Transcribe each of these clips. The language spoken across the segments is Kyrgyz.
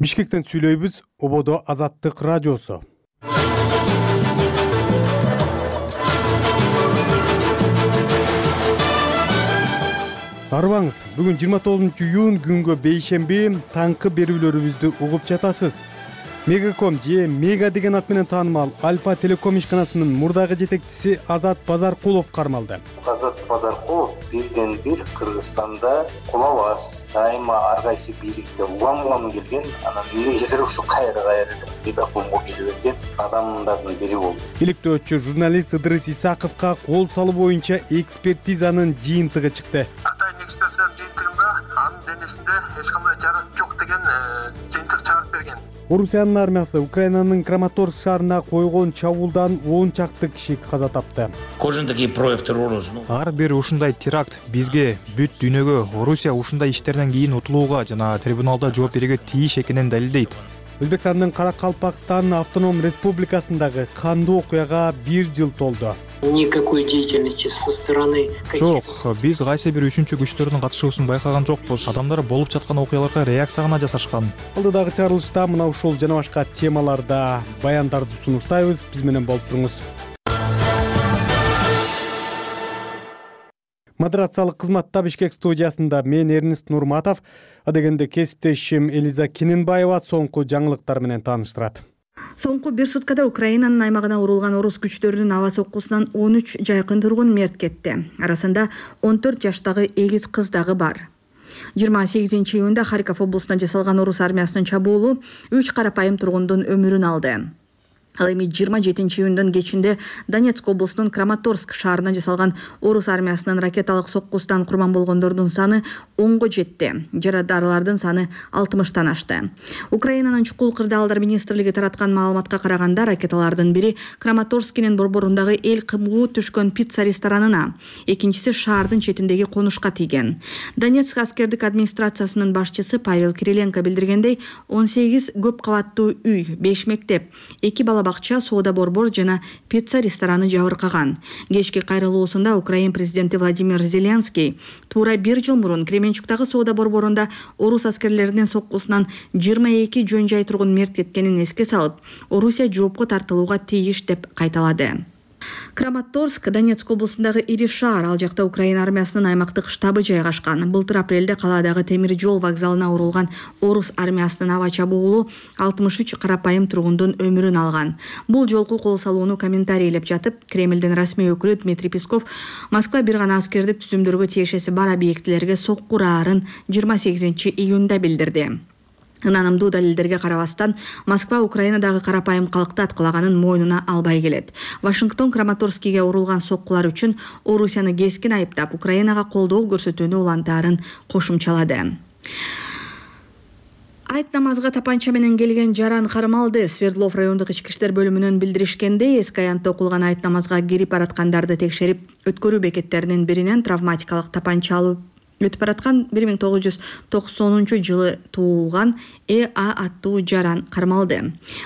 Бишкектен сүйлөйбүз, ободо Азаттык радиосу. Арбаңыз, бүгүн 29-июнь күнгө бейшемби таңкы берүүлөрүбүздү угуп жатасыз. Мегаком же Мега деген ат менен таанымал Альфа телеком ишканасынын мурдагы жетекчиси Азат Базаркулов кармалды. Азат Базаркулов бирден-бир Кыргызстанда кулабас, дайыма ар кайсы бийликте улам келген, анан эмнегедир ушу кайра Мегакомго келип берген адамдардын бири болду. Иликтөөчү журналист Ыдырыс Исаковго кол салуу боюнча экспертизанын жыйынтыгы чыкты. Атайын экспертизанын жыйынтыгында анын денесинде эч кандай жарак жок деген жыйынтык чыгарып берген. Орусиянын армиясы Украинанын Краматорск шаарына койгон чабуулдан 10 чакты киши каза тапты. Ар бир ушундай теракт бизге, бүт дүйнөгө Орусия ушундай иштерден кийин утулууга жана трибуналда жооп берүүгө тийиш экенин далилдейт. Өзбекстандын Каракалпакстан автоном республикасындагы кандуу окуяга 1 жыл толду. Никакой деятельности со стороны. Жок, биз кайсы бир үчүнчү күчтөрдүн катышуусун байкаган жокпуз. Адамдар болуп жаткан окуяларга реакция гана жасашкан. Алдыдагы чыгарылышта мына ушул жана башка темаларда баяндарды сунуштайбыз. Биз менен болуп туруңуз. Модерациялык кызматта Бишкек студиясында мен Эрнист Нурматов, адегенде кесиптешим Элиза Киненбаева соңку жаңылыктар менен тааныштырат. Соңку бир суткада Украинанын аймагына урулган орус күчтөрүнүн аба соккусунан 13 жайкын тургун мерт кетти. Арасында 14 жаштагы эгиз кыз дагы бар. 28-июнда Харьков облусуна жасалган орус армиясынын чабуулу 3 карапайым тургундун өмүрүн алды. Ал эми 27-июндун кечинде Донецк облусунун Краматорск шаарына жасалган орус армиясынын ракеталык соккусунан курман болгондордун саны 10го жетти. Жарадарлардын саны 60тан ашты. Украинанын чукул кырдаалдар министрлиги тараткан маалыматка караганда ракеталардын бири Краматорскинин борборундагы эл кымгуу түшкөн пицца ресторанына, экинчиси шаардын четиндеги конушка тийген. Донецк аскердик администрациясынын башчысы Павел Кириленко билдиргендей, 18 көп кабаттуу үй, 5 мектеп, 2 бала бакча, соода борбор жана пицца рестораны жабыркаган. Кечки кайрылуусунда Украин президенти Владимир Зеленский туура 1 жыл мурун Кременчуктагы соода борборунда орус аскерлеринин соккусунан 22 жөн жай тургун мерт кеткенин эске салып, Орусия жоопко тартылууга тийиш деп кайталады. Краматорск Донецк облусундагы ири шаар, ал жакта Украина армиясынын аймактык штабы жайгашкан. Былтыр апрелде калаадагы темир жол вокзалына урулган орус армиясынын аба чабуулу 63 карапайым тургундун өмүрүн алган. Бул жолку кол салууну комментарийлеп жатып, Кремлдин расмий өкүлү Дмитрий Песков Москва бир гана аскердик түзүмдөргө тиешеси бар объектилерге сокку uraарын 28-июнда билдирди. Ынанымдуу далилдерге карабастан, Москва Украинадагы карапайым калкты аткалаганын мойнуна албай келет. Вашингтон Краматорскиге урулган соккулар үчүн Орусияны кескин айыптап, Украинага колдоо көрсөтүүнү улантаарын кошумчалады. Айт намазга тапанча менен келген жаран кармалды. Свердлов райондук ички иштер бөлүмүнөн билдиришкендей, эски аянтта окулган айт намазга кирип бараткандарды текшерип, өткөрүү бекеттеринин биринен травматикалык тапанча алып өтүп бараткан 1990-жылы туулган АА аттуу жаран кармалды.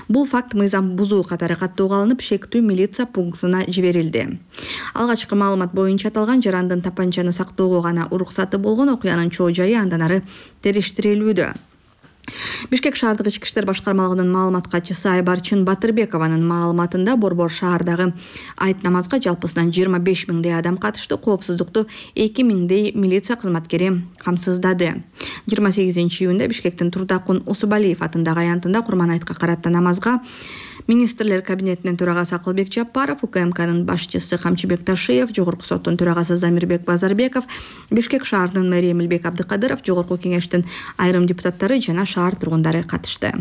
Бул факт мыйзам бузуу катары каттоого алынып, шектүү милиция пунктуна жиберилди. Алгачкы маалымат боюнча аталган жарандын тапанчаны сактоого гана уруксаты болгон, окуянын чоо жайы андан ары териштирилүүдө. Бишкек шаардык ички иштер башкармалыгынын маалымат катчысы Айбарчын Батырбекованын маалыматында борбор шаардагы айт намазга жалпысынан 25 миңдей адам катышты, коопсуздукту 2 миңдей милиция кызматкери камсыздады. 28-июнда Бишкектин Турдакун Усубалиев атындагы аянтында Курман айтка карата намазга Министрлер кабинетинин төрагасы Акылбек Жапаров, УКМКнын башчысы Камчыбек Ташиев, Жогорку соттун төрагасы Замирбек Базарбеков, Бишкек шаарынын мэри Эмилбек Абдыкадыров, Жогорку кеңештин айрым депутаттары жана шаар тургундары катышты.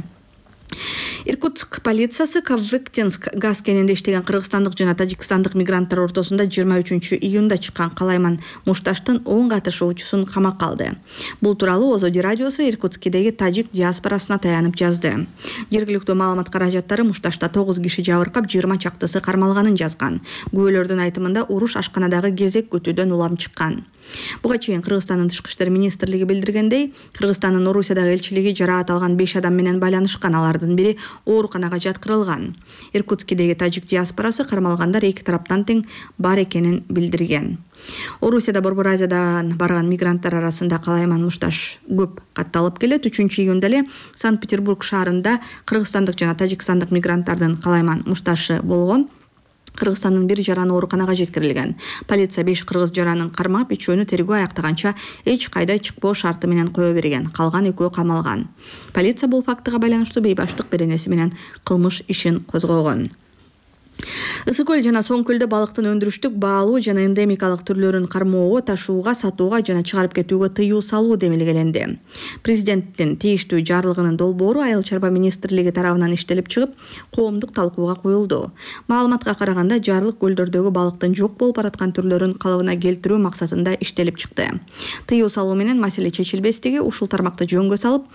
Иркутск полициясы Кавыктинск газ кенинде иштеген кыргызстандык жана тажикстандык мигранттар ортосунда 23-июнда чыккан Калайман Мушташтын 10 катышуучусун камакка алды. Бул тууралуу Озоди радиосу Иркутскидеги тажик диаспорасына таянып жазды. Жергиликтүү маалымат каражаттары Мушташта 9 киши жабыркап, 20 чактысы кармалганын жазган. Күбөлөрдүн айтымында уруш ашканадагы кезек күтүүдөн улам чыккан. Буга чейин Кыргызстандын тышкы иштер министрлиги билдиргендей, Кыргызстандын Орусиядагы элчилиги жараат алган 5 адам менен байланышкан, алардын бири ооруканага жаткырылган. Иркутскидеги тажик диаспорасы кармалгандар эки тараптан тең бар экенин билдирген. Орусияда Борбор Азиядан барган мигранттар арасында Калайман Мушташ көп катталып келет. 3-июнда эле Санкт-Петербург шаарында кыргызстандык жана тажикстандык мигранттардын Калайман Мушташы болгон. Кыргызстандын бир жараны ооруканага жеткирилген. Полиция 5 кыргыз жаранын кармап, 3-өөнү тергөө аяктаганча эч кайда чыкпоо шарты менен кое берген. Калган 2 камалган. Полиция бул фактыга байланыштуу бейбаштык беренеси менен кылмыш ишин козгогон. Ысык көл жана Соң көлдө балыктын өндүрүштүк, баалуу жана эндемикалык түрлөрүн кармоого, ташууга, сатууга жана чыгарып кетүүгө тыюу салуу демилгеленди. Президенттин тийиштүү жарлыгынын долбоору Айыл чарба министрлиги тарабынан иштелип чыгып, коомдук талкууга коюлду. Маалыматка караганда, жарлык көлдөрдөгү балыктын жок болуп бараткан түрлөрүн калыбына келтирүү максатында иштелип чыкты. Тыюу салуу менен маселе чечилбестиги ушул тармакты жөнгө салып,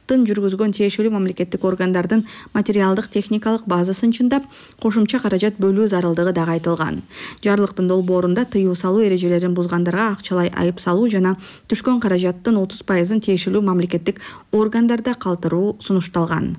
жүргүзгөн тиешелүү мамлекеттик органдардын материалдык техникалык базасын чындап, кошумча каражат бөлүү зарылдыгы дагы айтылган. Жарлыктын долбоорунда тыюу салуу эрежелерин бузгандарга акчалай айып салуу жана түшкөн каражаттын 30%-ын тиешелүү мамлекеттик органдарда калтыруу сунушталган.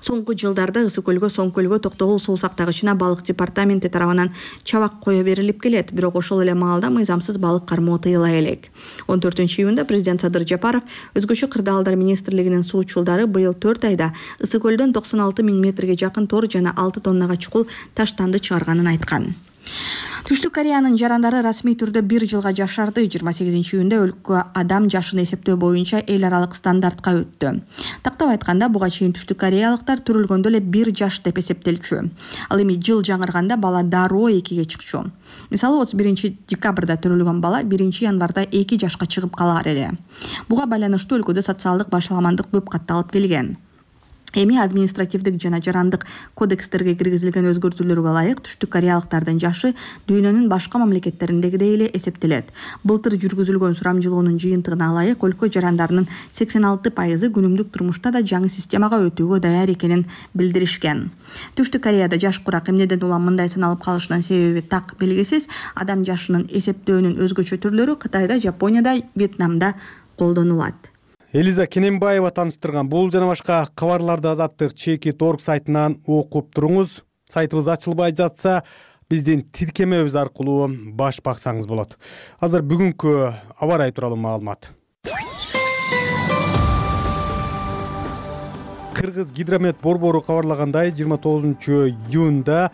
Соңку жылдарда Ысык көлгө Соң көлгө токтогул суу сактагычына балык департаменти тарабынан чабак кое берилип келет, бирок ошол эле маалда мыйзамсыз балык кармоо тыйыла элек. 14-июнда президент Садыр Жапаров өзгөчө кырдаалдар министрлигинин суучулдары быйыл 4 айда Ысык көлдөн 96 000 метрге жакын тор жана 6 тоннага чукул таштанды чыгарганын айткан. Түштүк Кореянын жарандары расмий түрдө 1 жылга жашарды. 28-июнда өлкө адам жашын эсептөө боюнча эл аралык стандартка өттү. Тактап айтканда, буга чейин Түштүк Кореялыктар төрөлгөндө эле 1 жаш деп эсептелчү. Ал эми жыл жаңырганда бала дароо 2ге чыкчу. Мисалы 31 декабрда төрөлгөн бала 1 январда 2 жашка чыгып калар эле. Буга байланыштуу өлкөдө социалдык башаламандык көп катталып келген. Эми административдик жана жарандык кодекстерге киргизилген өзгөртүүлөргө ылайык Түштүк Кореялыктардын жашы дүйнөнүн башка мамлекеттериндегидей эле эсептелет. Былтыр жүргүзүлгөн сурамжылоонун жыйынтыгына ылайык өлкө жарандарынын 86% күнүмдүк турмушта да жаңы системага өтүүгө даяр экенин билдиришкен. Түштүк Кореяда жаш курак эмнеден улам мындай саналып калышынын себеби так белгисиз. Адам жашынын эсептөөнүн өзгөчө түрлөрү Кытайда, Жапонияда, Вьетнамда колдонулат. Элиза Кененбаева таныштырган бул жана башка кабарларды Азаттык Чекит.org сайтынан окуп туруңуз. Сайтыбыз ачылбай жатса, биздин тиркемебиз аркылуу баш баксаңыз болот. Азыр бүгүнкү аба ырайы тууралуу маалымат. Кыргыз гидромет борбору кабарлагандай, 29-июнда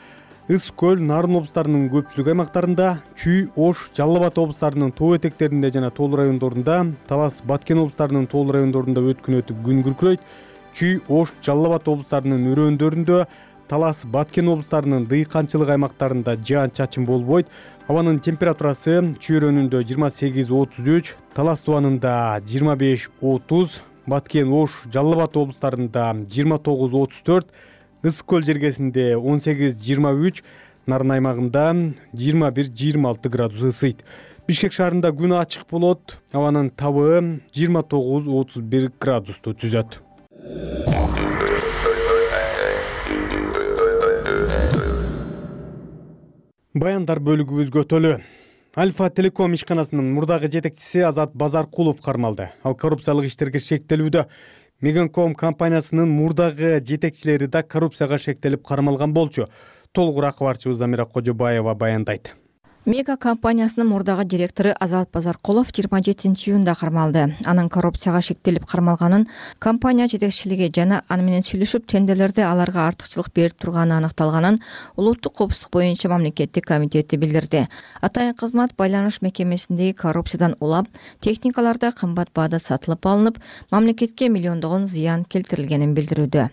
Ысык көл, Нарын облустарынын көпчүлүк аймактарында, Чүй, Ош, Жалал Абад облустарынын тоо этектеринде жана тоолуу райондорунда, Талас, Баткен облустарынын тоолуу райондорунда өткүн өтүп күн күркүрөйт. Чүй, Ош, Жалал Абад облустарынын өрөөндөрүндө, Талас, Баткен облустарынын дыйканчылык аймактарында жаан-чачын болбойт. Абанын температурасы Чүй өрөөнүндө 28-33, Талас тубанында 25-30, Баткен, Ош, Жалал Абад облустарында 29-34, Ысык көл жергесинде 18-23, Нарын аймагында 21-26 градус ысыйт. Бишкек шаарында күн ачык болот. Абанын табы 29-31 градусту түзөт. Баяндар бөлүгүбүз көтөлү. Альфа Телеком ишканасынын мурдагы жетекчиси Азат Базаркулов кармалды. Ал коррупциялык иштерге шектелүүдө. Меганком компаниясынын мурдагы жетекчилери да коррупцияга шектелип кармалган болчу. Толугураак кабарчыбыз Замира Кожобаева баяндайт. Мега компаниясынын мурдагы директору Азат Базаркулов 27-июнда кармалды. Анын коррупцияга шектелип кармалганын компания жетекчилиги жана аны менен сүйлөшүп тендерлерде аларга артыкчылык берип турганы аныкталганын Улуттук коопсуздук боюнча мамлекеттик комитети билдирди. Атайын кызмат байланыш мекемесиндеги коррупциядан улап, техникаларда кымбат баада сатылып алынып, мамлекетке миллиондогон зыян келтирилгенин билдирүүдө.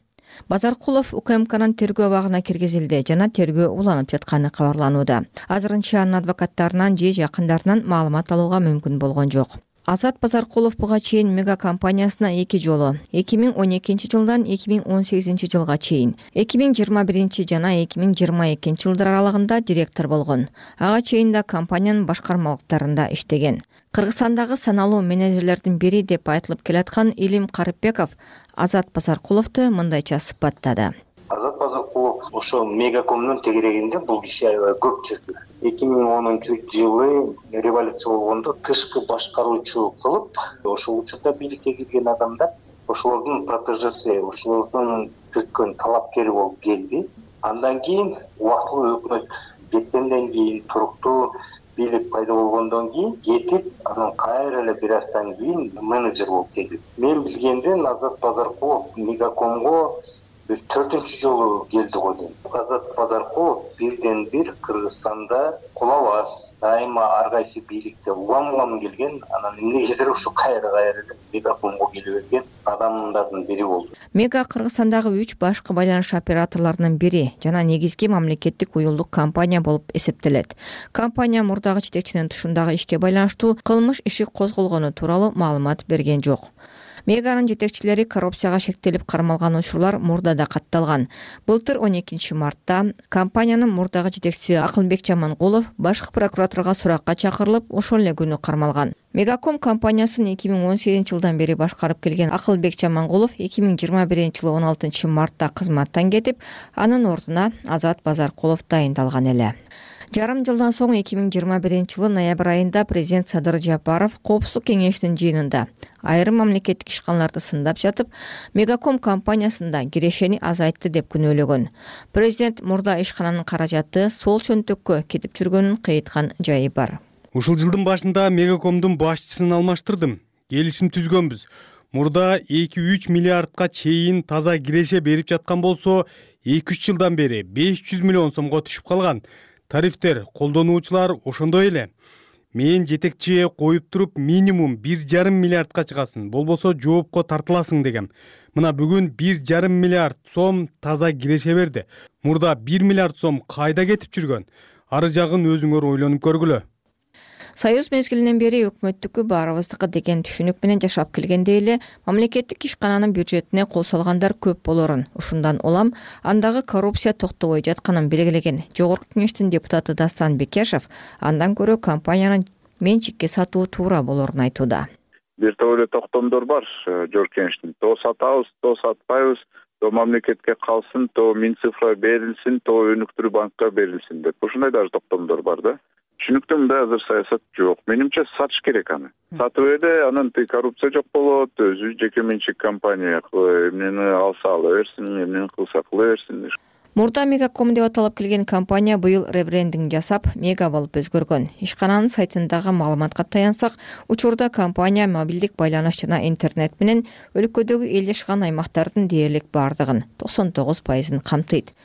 Базаркулов УКМКнын тергөө абагына киргизилди жана тергөө уланып жатканы кабарланууда. Азырынча анын адвокаттарынан же жакындарынан маалымат алууга мүмкүн болгон жок. Азат Базаркулов буга чейин мега компаниясына 2 жолу 2012 жылдан 2018 жылга чейин 2021 жана 2022 жылдар аралыгында директор болгон. Ага чейин да компаниянын башкармалыктарында иштеген. Кыргызстандагы саналуу менеджерлердин бири деп айтылып келаткан Илим Карыпбеков Азат Базаркуловду мындайча сыпаттады. Азат Базаркулов ошо Мегакомдун тегерегинде бул киши аябай көп жүрдү. 2010-жылы революция болгондо тышкы башкаруучу кылып, ошол учурда бийликке кирген адамдар ошолордун протежеси, ошолордун тиркөн талапкери болуп келди. Андан кийин убактылуу өкмөт кеткенден кийин, туруктуу бийлик пайда болгондон кийин кетип, анан кайра эле бир аздан кийин менеджер болуп келди. Мен билгенден Азат Базаркулов Мегакомго 4-чү жолу келди го дейм. Азат Базаркулов бирден бир Кыргызстанда кулабас, дайыма ар кайсы бийликте улам келген, анан эмнегедир ушу кайра Мегакомго келе берген адамдардын бири болду. Мега Кыргызстандагы 3 башкы байланыш операторлорунун бири жана негизги мамлекеттик уюлдук компания болуп эсептелет. Компания мурдагы жетекчинин тушундагы ишке байланыштуу кылмыш иши козголгону тууралуу маалымат берген жок. Меганын жетекчилери коррупцияга шектелип кармалган учурлар мурда да катталган. Былтыр 12 мартта компаниянын мурдагы жетекчиси Акылбек Жамангулов башкы прокуратурага суракка чакырылып, ошол эле күнү кармалган. Мегаком компаниясын 2018-жылдан бери башкарып келген Акылбек Жамангулов 2021-жылы 16 мартта кызматтан кетип, анын ордуна Азат Базаркулов дайындалган эле. Жарым жылдан соң 2021-жылы ноябрь айында президент Садыр Жапаров Коопсуздук кеңешинин жыйынында айрым мамлекеттик ишканаларды сындап жатып, Мегаком компаниясында кирешени азайтты деп күнөөлөгөн. Президент мурда ишкананын каражаты сол чөнтөккө кетип жүргөнүн кыйыткан жайы бар. Ушул жылдын башында Мегакомдун башчысын алмаштырдым. Келишим түзгөнбүз. Мурда 2-3 миллиардка чейин таза киреше берип жаткан болсо, 2-3 жылдан бери 500 миллион сомго түшүп калган. Тарифтер, колдонуучулар ошондой эле. Мен жетекчиге коюп туруп минимум 1,5 миллиардка чыгасын, болбосо жоопко тартыласың дегем. Мына бүгүн 1,5 миллиард сом таза киреше берди. Мурда 1 миллиард сом кайда кетип жүргөн? Ары жагын өзүңөр ойлонуп көргүлө. Союз мезгилинен бери өкмөттүкү баарыбыздыкы деген түшүнүк менен жашап келгенде эле мамлекеттик ишкананын бюджетине кол салгандар көп болорун, ушундан улам андагы коррупция токтобой жатканын белгилеген Жогорку кеңештин депутаты Дастан Бекешев андан көрө компаниянын менчикке сатуу туура болорун айтууда. Бир топ эле токтомдор бар Жогорку кеңештин. То сатабыз, то сатпайбыз, то мамлекетке калсын, то Минцифра берилсин, то өнүктүрүү банкка берилсин деп. Ушундай даже токтомдор бар да. Түшүнүктүү мындай азыр саясат жок. Менимче сатыш керек аны. Сатып эле анан коррупция жок болот, өзү жеке менчик компания эмнени алса ала берсин, эмнени кылса кыла берсин. Мурда Мегаком деп аталып келген компания быйыл ребрендинг жасап, Мега болуп өзгөргөн. Ишкананын сайтындагы маалыматка таянсак, учурда компания мобилдик байланыш жана интернет менен өлкөдөгү эл жашаган аймактардын дээрлик бардыгын 99% камтыйт.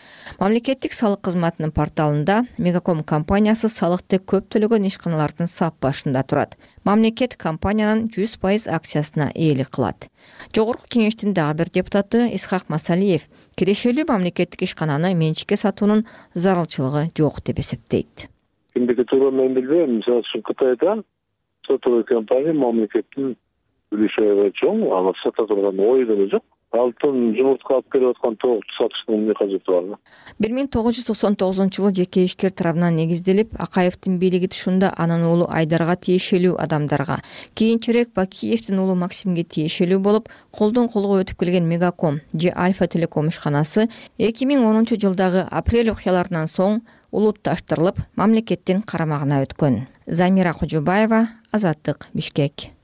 Мамлекеттик салык кызматынын порталында Мегаком компаниясы салыкты көп төлөгөн ишканалардын сап башында турат. Мамлекет компаниянын 100% акциясына ээлик кылат. Жогорку кеңештин дагы бир депутаты Исхак Масалиев кирешелүү мамлекеттик ишкананы менчикке сатуунун зарылчылыгы жок деп эсептейт. Кимдики туура мен билбейм. Мисалы үчүн Кытайда сатуу компания мамлекеттин үлүшү чоң, ага сата турган ой деле жок. Алтын жумуртка алып келип аткан тоокчу сатыштын эмне кажети бар? 1999-жылы жеке ишкер тарабынан негизделип, Акаевдин бийлиги тушунда анын уулу Айдарга тиешелүү адамдарга, кийинчерээк Бакиевдин уулу Максимге тиешелүү болуп, колдон колго өтүп келген Мегаком же Альфа Телеком ишканасы 2010-жылдагы апрель окуяларынан соң улутташтырылып, мамлекеттин карамагына өткөн. Замира Кожобаева, Азаттык, Бишкек.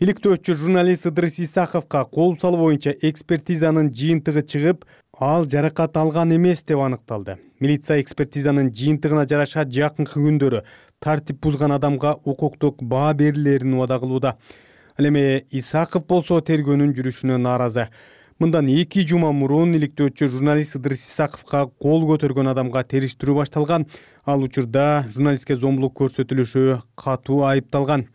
Иликтөөчү журналист Ыдырыс Исаховго кол салуу боюнча экспертизанын жыйынтыгы чыгып, ал жаракат алган эмес деп аныкталды. Милиция экспертизанын жыйынтыгына жараша жакынкы күндөрү тартип бузган адамга укуктук баа берилерин убада кылууда. Ал эми Исахов болсо тергөөнүн жүрүшүнө нааразы. Мындан 2 жума мурун иликтөөчү журналист Ыдырыс Исаховго кол көтөргөн адамга териштирүү башталган. Ал учурда журналистке зомбулук көрсөтүлүшү катуу айыпталган.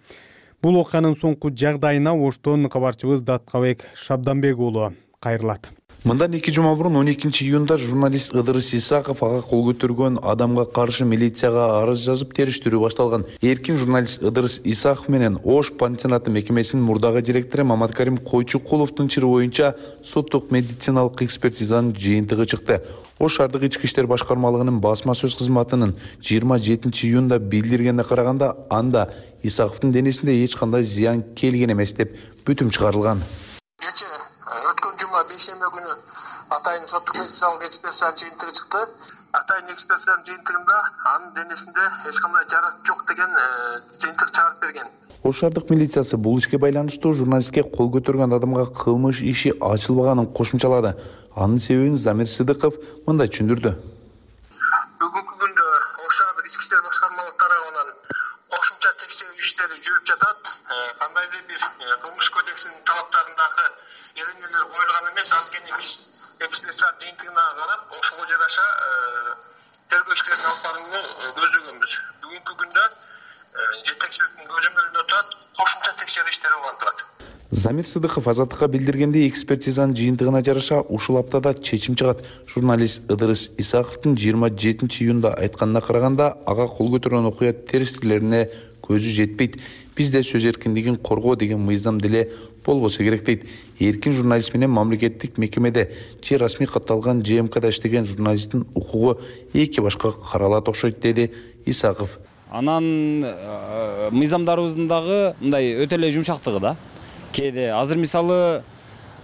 Бул окуянын соңку жагдайына Оштон кабарчыбыз Даткабек Шабданбек уулу кайрылат. Мындан 2 жума мурун 12-июнда журналист Ыдырыс Исаков ага кол көтөргөн адамга каршы милицияга арыз жазып териштирүү башталган. Эркин журналист Ыдырыс Исаков менен Ош пансионаты мекемесинин мурдагы директору Маматкарим Койчукуловдун чыры боюнча соттук медициналык экспертизанын жыйынтыгы чыкты. Ош шаардык ички иштер башкармалыгынын басма сөз кызматынын 27-июнда билдиргенине караганда, анда Исаковдун денесинде эч кандай зыян келген эмес деп бүтүм чыгарылган. Өткөн жума бейшембе күнү атайын соттук медициналык экспертизанын жыйынтыгы чыкты. Атайын экспертизанын жыйынтыгында анын денесинде эч кандай жарак жок деген жыйынтык чыгарып берген. Ош шаардык милициясы бул ишке байланыштуу журналистке кол көтөргөн адамга кылмыш иши ачылбаганын кошумчалады. Анын себебин Замир Сыдыков мындай түшүндүрдү. Бүгүнкү күндө Ош шаардык ички иштер башкармалыгы тарабынан кошумча текшерүү иштери жүрүп жатат. Кандайдыр бир кылмыш кодексинин талаптарындагы эрежелер коюлган эмес. Анткени биз экспертиза жыйынтыгына карап, ошого жараша тергөө иштерин алып барууну көздөгөнбүз. Бүгүнкү күндө жетекчиликтин көзөмөлүндө турат, кошумча текшерүү иштери улантылат. Замир Сыдыков азаттыкка билдиргендей, экспертизанын жыйынтыгына жараша ушул аптада чечим чыгат. Журналист Ыдырыс Исаковдун 27-июнда айтканына караганда, ага кол көтөргөн окуя терістиктерине көзү жетпейт. Бизде сөз эркиндигин коргоо деген мыйзам деле болбосо керек дейт. Эркин журналист менен мамлекеттик мекемеде же расмий катталган ЖМКда иштеген журналисттин укугу эки башка каралат окшойт, деди Исаков. Анан мыйзамдарыбыздын дагы мындай өтө эле жумшактыгы да. Кээде азыр мисалы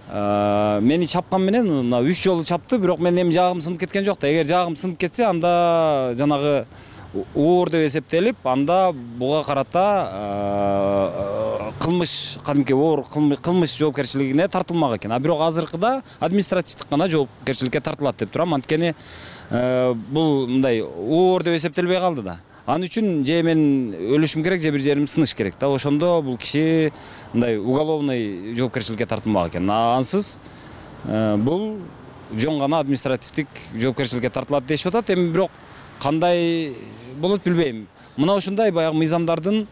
мени чапкан менен мына 3 жолу чапты, бирок менин эми жаагым сынып кеткен жок да. Эгер жаагым сынып кетсе, анда жанагы оор деп эсептелип, анда буга карата кылмыш, кадимки оор кылмыш жоопкерчилигине тартылмак экен. А бирок азыркыда административдик гана жоопкерчиликке тартылат деп турам. Анткени бул мындай оор деп эсептелбей калды да. Анын үчүн же мен өлүшүм керек, же бир жерим сыныш керек да. Ошондо бул киши мындай уголовный жоопкерчиликке тартылмак экен. Ансыз бул жөн гана административдик жоопкерчиликке тартылат дешип атат. Эми бирок кандай болот билбейм. Мына ушундай баягы мыйзамдардын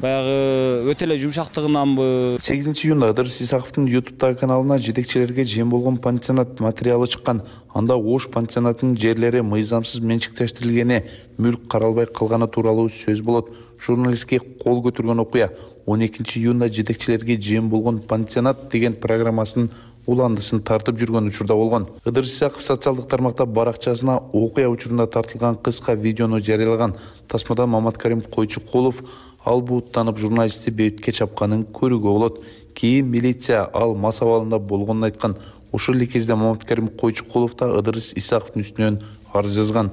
баягы өтө эле жумшактыгынанбы. 8-июнда Ыдырыс Исаковдун YouTube'дагы каналына жетекчилерге жем болгон пансионат материалы чыккан. Анда Ош пансионатынын жерлери мыйзамсыз менчиктештирилгени, мүлк каралбай калганы тууралуу сөз болот. Журналистке кол көтөргөн окуя 12-июнда жетекчилерге жем болгон пансионат деген программасынын уландысын тартып жүргөн учурда болгон. Ыдырыс Исаков социалдык тармакта баракчасына окуя учурунда тартылган кыска видеону жарыялаган. Тасмада Маматкарим Койчукулов ал бууттанып журналистти бетке чапканын көрүүгө болот. Кийин милиция ал мас абалында болгонун айткан. Ошол эле кезде Маматкарим Койчукулов да Ыдырыс Исаковдун үстүнөн арыз жазган.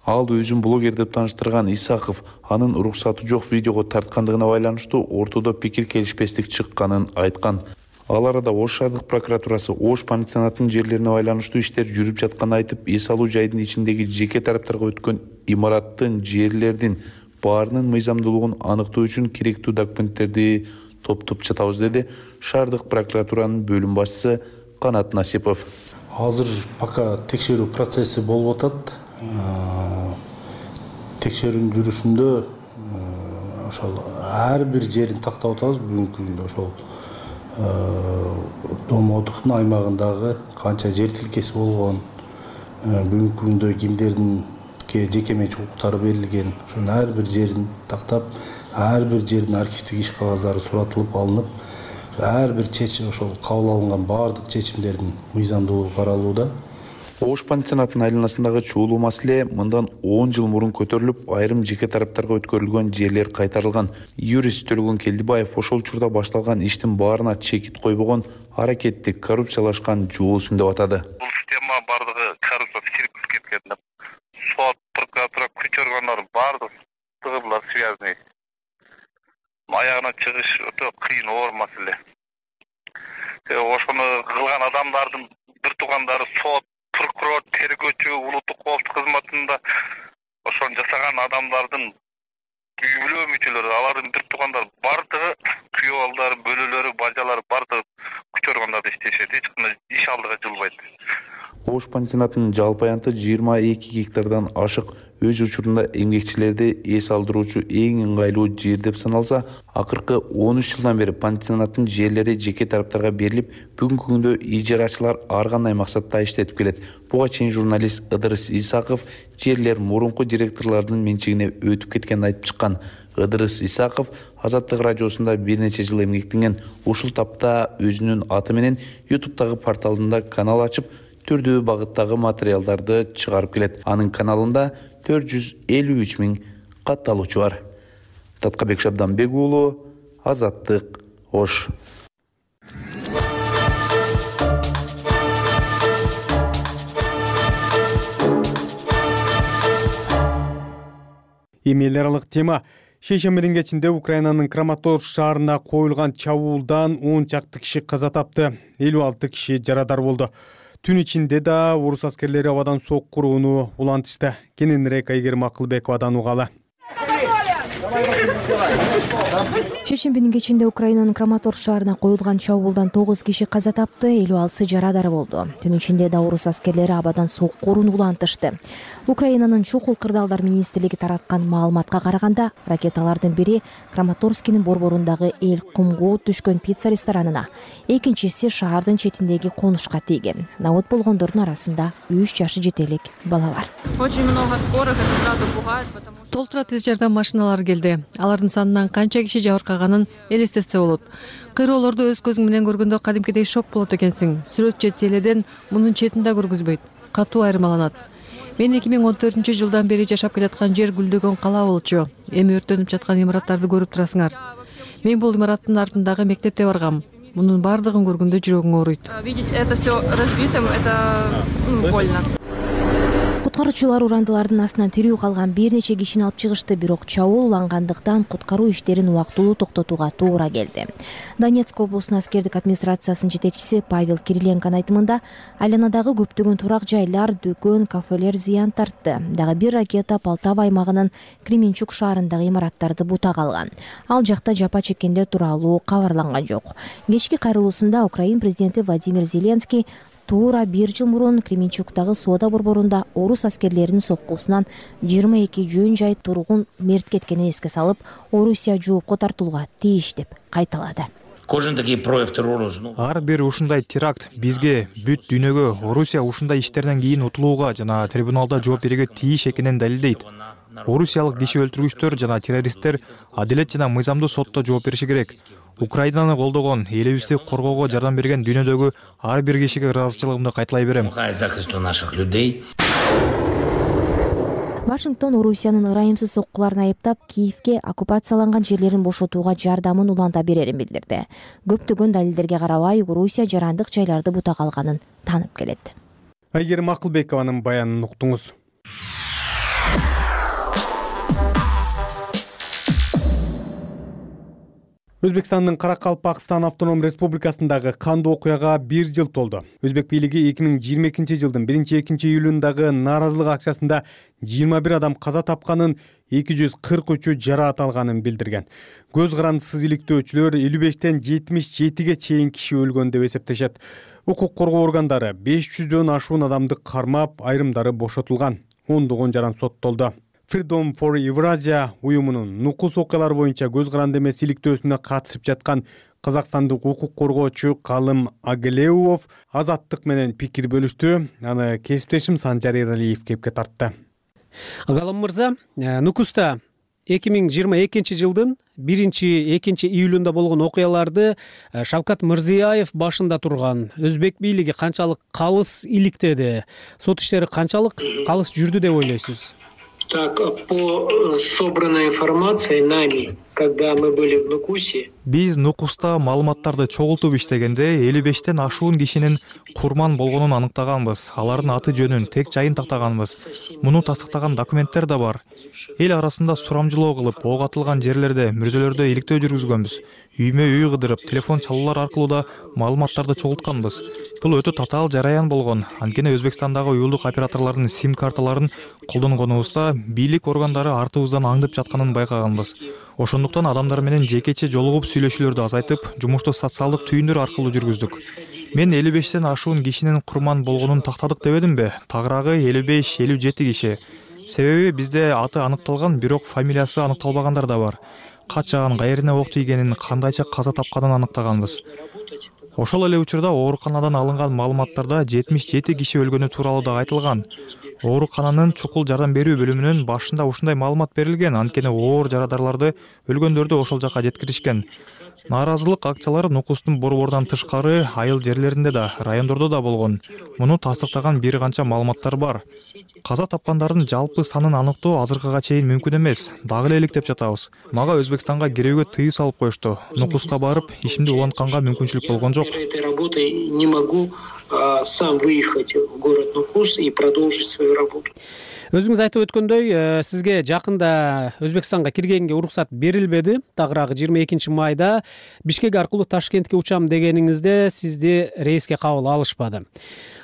Ал өзүн блогер деп тааныштырган Исаков анын уруксаты жок видеого тарткандыгына байланыштуу ортодо пикир келишпестик чыкканын айткан. Ал арада Ош шаардык прокуратурасы Ош пансионатынын жерлерине байланыштуу иштер жүрүп жатканын айтып, эс алуу жайдын ичиндеги жеке тараптарга өткөн имараттын, жерлердин баарынын мыйзамдуулугун аныктоо үчүн керектүү документтерди топтоп жатабыз, деди шаардык прокуратуранын бөлүм башчысы Канат Насипов. Азыр пока текшерүү процесси болуп атат. Текшерүүнүн жүрүшүндө ошол ар бир жерин тактап атабыз. Бүгүнкү күндө ошол Домодуктун аймагындагы канча жер тилкеси болгон, бүгүнкү күндө кимдердин жеке менчик укуктары берилген, ошонун ар бир жерин тактап, ар бир жердин архивдик иш кагаздары суратылып алынып, ар бир чечим ошол кабыл алынган баардык чечимдердин мыйзамдуулугу каралууда. Ош пансионатынын айланасындагы чуулуу маселе мындан 10 жыл мурун көтөрүлүп, айрым жеке тараптарга өткөрүлгөн жерлер кайтарылган. Юрист Төлөгөн Келдибаев ошол учурда башталган иштин баарына чекит койбогон, аракетти коррупциялашкан жуусун деп атады. Бул система бардыгы коррупцияга кирип кеткен деп. Сот, прокуратура, күч органдары бардыгы булар связанный. Аягына чыгыш өтө кыйын, оор маселе. Ошону кылган адамдардын бир туугандары сот, прокурор, тергөөчү, улуттук коопсуздук кызматында ошону жасаган адамдардын үй бүлө мүчөлөрү, алардын бир туугандары бардыгы, күйөө балдары, бөлөлөрү, бажалары бардыгы күч органдарда иштешет, эч кандай иш алдыга жылбайт. Ош пансионатынын жалпы аянты 22 гектардан ашык. өз учурунда эмгекчилерди эс алдыруучу эң ыңгайлуу жер деп саналса, акыркы 13 жылдан бери пансионаттын жерлери жеке тараптарга берилип, бүгүнкү күндө ижарачылар ар кандай максатта иштетип келет. Буга чейин журналист Ыдырыс Исаков жерлер мурунку директорлордун менчигине өтүп кеткенин айтып чыккан. Ыдырыс Исаков Азаттык радиосунда бир нече жыл эмгектенген. Ушул тапта өзүнүн аты менен YouTube'дагы порталында канал ачып, түрдүү багыттагы материалдарды чыгарып келет. Анын каналында 453 000 катталуучу бар. Таткабек Шабданбек уулу, Азаттык, Ош. Эл аралык тема. Шейшембинин кечинде Украинанын Краматорск шаарына коюлган чабуулдан 10 чакты киши каза тапты, 56 киши жарадар болду. Түн ичинде да орус аскерлери абадан соккурууну улантышты. Кененирээк Айгерим Акылбековадан угалы. Шейшембинин кечинде Украинанын Краматорск шаарына коюлган чабуулдан 9 киши каза тапты, 56 жарадар болду. Түн ичинде да орус аскерлери абадан соккурууну улантышты. Украинанын чукул кырдаалдар министрлиги тараткан маалыматка караганда, ракеталардын бири Краматорскинин борборундагы Эл Кумгоо түшкөн пицца ресторанына, экинчиси шаардын четиндеги конушка тийген. Набыт болгондордун арасында 3 жашы жетелик бала бар. Очень много скорых, это сразу пугает, потому что толтура тез жардам машиналары келди. Алардын санынан канча киши жабыркаганын элестетсе болот. Кыйроолорду өз көзүң менен көргөндө кадимкидей шок болот экенсиң. Сүрөт же теледен мунун четин да көргүзбөйт. Катуу айырмаланат. Мен 2014-жылдан бери жашап келаткан жер гүлдөгөн кала болчу. Эми өрттөнүп жаткан имараттарды көрүп турасыңар. Мен бул имараттын артындагы мектепте баргам. Мунун бардыгын көргөндө жүрөгүң ооруйт. Видеть это все разбитым, это больно. Куткаруучулар урандылардын астынан тирүү калган бир нече кишини алып чыгышты, бирок чабуул улангандыктан куткаруу иштерин убактылуу токтотууга туура келди. Донецк облусунун аскердик администрациясынын жетекчиси Павел Кириленконун айтымында, айланадагы көптөгөн турак жайлар, дүкөн, кафелер зыян тартты. Дагы бир ракета Полтава аймагынын Кременчук шаарындагы имараттарды бута калган. Ал жакта жапа чеккендер тууралуу кабарланган жок. Кечки кайрылуусунда Украин президенти Владимир Зеленский туура 1 жыл мурун Кременчуктагы соода борборунда орус аскерлеринин соккусунан 22 жөн жай тургун мерт кеткенин эске салып, Орусия жоопко тартылууга тийиш деп кайталады. Ар бир ушундай теракт бизге, бүт дүйнөгө Орусия ушундай иштерден кийин утулууга жана трибуналда жооп берүүгө тийиш экенин далилдейт. Орусиялык киши өлтүргүчтөр жана террористтер адилет жана мыйзамдуу сотто жооп бериши керек. Украинаны колдогон, элибизди коргоого жардам берген дүйнөдөгү ар бир кишиге ыраазычылыгымды кайталай берем. Вашингтон Орусиянын ырайымсыз соккуларын айыптап, Киевке оккупацияланган жерлерин бошотууга жардамын уланта берерин билдирди. Көптөгөн далилдерге карабай, Орусия жарандык жайларды бута калганын таанып келет. Айгерим Акылбекованын баянын уктуңуз. Өзбекстандын Каракалпакстан автоном республикасындагы кандуу окуяга 1 жыл толду. Өзбек бийлиги 2022 жылдын 1-2 июлундагы нааразылык акциясында 21 адам каза тапканын, 243 жараат алганын билдирген. Көз карандысыз иликтөөчүлөр 55-тен 77ге чейин киши өлгөн деп эсептешет. Укук коргоо органдары 500дөн ашуун адамды кармап, айрымдары бошотулган. Ондогон жаран соттолду. Freedom for Eurasia уюмунун нукус окуялар боюнча көз каранды эмес иликтөөсүнө катышып жаткан казакстандык укук коргоочу Калым Агелеуов Азаттык менен пикир бөлүштү. Аны кесиптешим Санжар Эралиев кепке тартты. Калым мырза, нукуста 2022 жылдын 1-2 июлунда болгон окуяларды Шавкат Мирзиёев башында турган. Өзбек бийлиги канчалык калыс иликтеди? Сот иштери канчалык калыс жүрдү деп ойлойсуз? Так, по собранной информации нами, когда мы были в Нукусе, биз Нукуста маалыматтарды чогултуп иштегенде 55тен ашуун кишинин курман болгонун аныктаганбыз. Алардын аты жөнүн, тек жайын тактаганбыз. Муну тастыктаган документтер да бар. Эл арасында сурамжылоо кылып, ок атылган жерлерде, мүрзөлөрдө иликтөө жүргүзгөнбүз. Үймө үй кыдырып, телефон чалуулар аркылуу да маалыматтарды чогултканбыз. Бул өтө татаал жараян болгон. Анткени Өзбекстандагы уюлдук операторлордун сим карталарын колдонгонубузда бийлик органдары артыбыздан аңдып жатканын байкаганбыз. Ошондуктан адамдар менен жекече жолугуп сүйлөшүүлөрдү азайтып, жумушту социалдык түйүндөр аркылуу жүргүздүк. Мен 55тен ашуун кишинин курман болгонун тактадык дебедимби? Тагыраагы 55-57 киши. Себеби бизде аты аныкталган, бирок фамилиясы аныкталбагандар да бар. Качан, каерине ок тийгенин, кандайча каза тапканын аныктаганбыз. Ошол эле учурда ооруканадан алынган маалыматтарда 77 киши өлгөнү тууралуу да айтылган. Оорукананын чукул жардам берүү бөлүмүнүн башында ушундай маалымат берилген, анткени оор жарадарларды, өлгөндөрдү ошол жака жеткиришкен. Нааразылык акциялары Нукустун борборунан тышкары айыл жерлеринде да, райондордо да болгон. Муну тастыктаган бир канча маалыматтар бар. Каза тапкандардын жалпы санын аныктоо азыркыга чейин мүмкүн эмес. Дагы эле иликтеп жатабыз. Мага Өзбекстанга кирүүгө тыюу салып коюшту. Нукуска барып, ишимди улантканга мүмкүнчүлүк болгон жок. Не могу сам выехать в город Нукус и продолжить свою работу. Өзүңүз айтып өткөндөй, сизге жакында Өзбекстанга киргенге уруксат берилбеди. Тагыраагы 22 майда Бишкек аркылуу Ташкентке учам дегениңизде сизди рейске кабыл алышпады.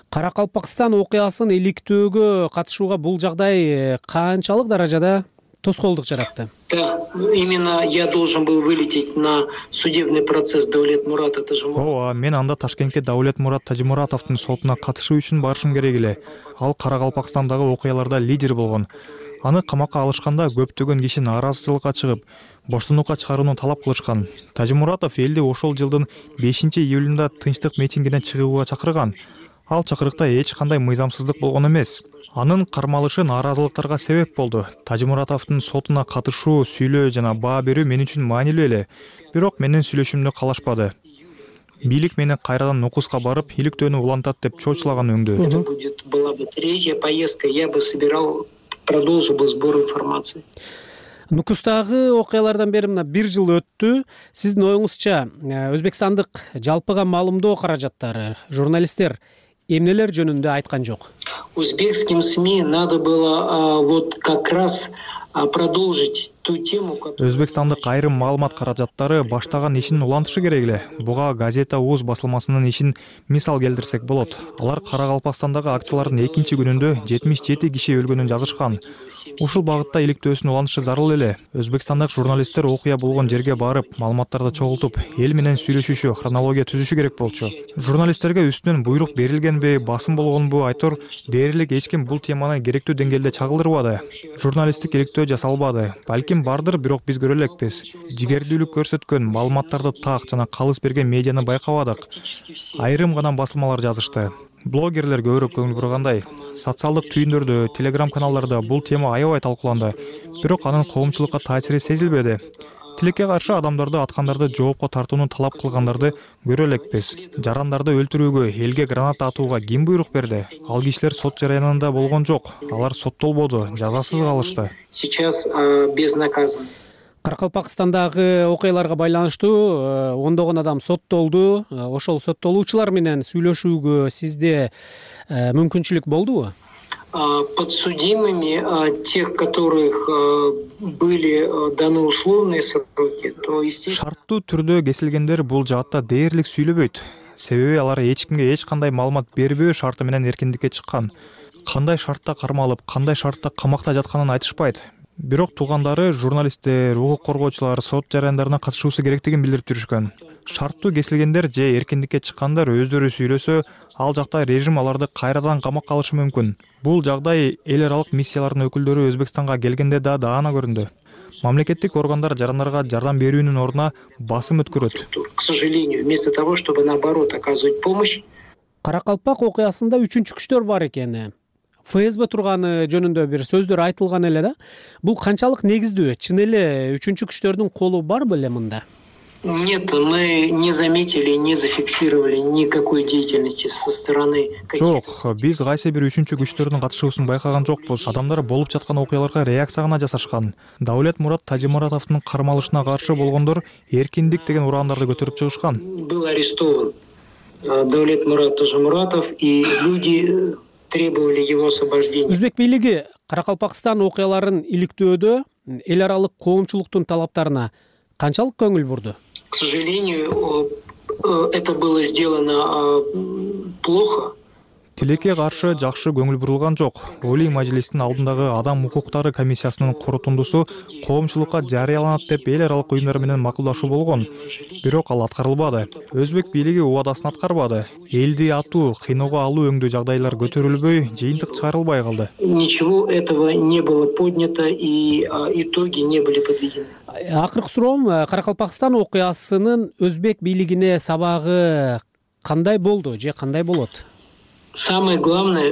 Каракалпакстан окуясын иликтөөгө катышууга бул жагдай канчалык даражада тоскоолдук жаратты? Да, именно я должен был вылететь на судебный процесс Даулетмурата Тажимуратова. Ооба, мен анда Ташкентке Даулетмурат Тажимуратовдун сотуна катышуу үчүн барышым керек эле. Ал Каракалпакстандагы окуяларда лидер болгон. Аны камакка алышканда көптөгөн киши нааразычылыкка чыгып, боштондукка чыгарууну талап кылышкан. Тажимуратов элди ошол жылдын 5-июлунда тынчтык митингине чыгууга чакырган. Ал чакырыкта эч кандай мыйзамсыздык болгон эмес. Анын кармалышы нааразылыктарга себеп болду. Тажимуратовдун сотуна катышуу, сүйлөө жана баа берүү мен үчүн маанилүү эле. Бирок менин сүйлөшүмдү калашпады. Бийлик мени кайрадан Нукуска барып, иликтөөнү улантат деп чочулаган өңдү. Была бы третья поездка, я бы собирал, продолжил бы сбор информации. Нукустагы окуялардан бери мына 1 жыл өттү. Сиздин оюңузча, Өзбекстандык жалпыга маалымдоо каражаттары, журналисттер эмнелер жөнүндө айткан жок? Узбекским СМИ надо было вот как раз продолжить ту тему, Өзбекстандык айрым маалымат каражаттары баштаган ишин улантышы керек эле. Буга газета УЗ басылмасынын ишин мисал келтирсек болот. Алар Каракалпакстандагы акциялардын 2-күнүндө 77 киши өлгөнүн жазышкан. Ушул багытта иликтөөсүн уланышы зарыл эле. Өзбекстандык журналисттер окуя болгон жерге барып, маалыматтарды чогултуп, эл менен сүйлөшүшү, хронология түзүшү керек болчу. Журналисттерге үстүнөн буйрук берилгенби, басым болгонбу айтор дээрлик эч ким бул теманы керектүү деңгээлде чагылдырбады. Журналисттик иликтөө жасалбады. Балким бардыр, бирок биз көрө элекпиз. Жигердүүлүк көрсөткөн, маалыматтарды так жана калыс берген медианы байкабадык. Айрым гана басылмалар жазышты. Блогерлер көбүрөөк көңүл бургандай. Социалдык түйүндөрдө, телеграм каналдарда бул тема аябай талкууланды. Бирок анын коомчулукка таасири сезилбеди. Тилекке каршы адамдарды аткандарды жоопко тартууну талап кылгандарды көрө элекпиз. Жарандарды өлтүрүүгө, элге граната атууга ким буйрук берди? Ал кишилер сот жарыянында болгон жок. Алар соттолбоду, жазасыз калышты. Сейчас безнаказан. Каракалпакстандагы окуяларга байланыштуу ондогон адам соттолду. Ошол соттолуучулар менен сүйлөшүүгө сизде мүмкүнчүлүк болдубу? Подсудимыми, тех, которых были даны условные сроки, то естественно... Шарттуу түрдө кесилгендер бул жаатта дээрлик сүйлөбөйт. Себеби алар эч кимге эч кандай маалымат бербөө шарты менен эркиндикке чыккан. Кандай шартта кармалып, кандай шартта камакта жатканын айтышпайт. Бирок туугандары, журналисттер, укук коргоочулар сот жараяндарына катышуусу керектигин билдирип жүрүшкөн. Шарттуу кесилгендер же эркиндикке чыккандар өздөрү сүйлөсө, ал жакта режим аларды кайрадан камакка алышы мүмкүн. Бул жагдай эл аралык миссиялардын өкүлдөрү Өзбекстанга келгенде да даана көрүндү. Мамлекеттик органдар жарандарга жардам берүүнүн ордуна басым өткөрөт. К сожалению, вместо того, чтобы наоборот оказывать помощь. Каракалпак окуясында 3-күчтөр күчтөр бар экен. ФСБ турганы жөнүндө бир сөздөр айтылган эле да. Бул канчалык негиздүү? Чын эле 3-күчтөрдүн күчтөрдүн колу барбы эле мында? Нет, мы не заметили, не зафиксировали никакой деятельности со стороны. Жок, биз кайсы бир 3-күчтөрдүн күчтөрүнүн катышуусун байкаган жокпуз. Адамдар болуп жаткан окуяларга реакция гана жасашкан. Даулетмурат Тажимуратовдун кармалышына каршы болгондор эркиндик деген ураандарды көтөрүп чыгышкан. Был арестован Даулетмурат Тажимуратов, и люди требовали его освобождения. Өзбек бийлиги Каракалпакстан окуяларын иликтөөдө эл аралык коомчулуктун талаптарына канчалык көңүл бурду? К сожалению, это было сделано плохо. Тилекке каршы жакшы көңүл бурулган жок. Олий мажлистин алдындагы адам укуктары комиссиясынын корутундусу коомчулукка жарыяланат деп эл аралык уюмдар менен макулдашуу болгон. Бирок ал аткарылбады. Өзбек бийлиги убадасын аткарбады. Элди атуу, кыйноого алуу өңдүү жагдайлар көтөрүлбөй, жыйынтык чыгарылбай калды. Ничего этого не было поднято и итоги не были подведены. Акыркы суроом, Каракалпакстан окуясынын өзбек бийлигине сабагы кандай болду же кандай болот? Самое главное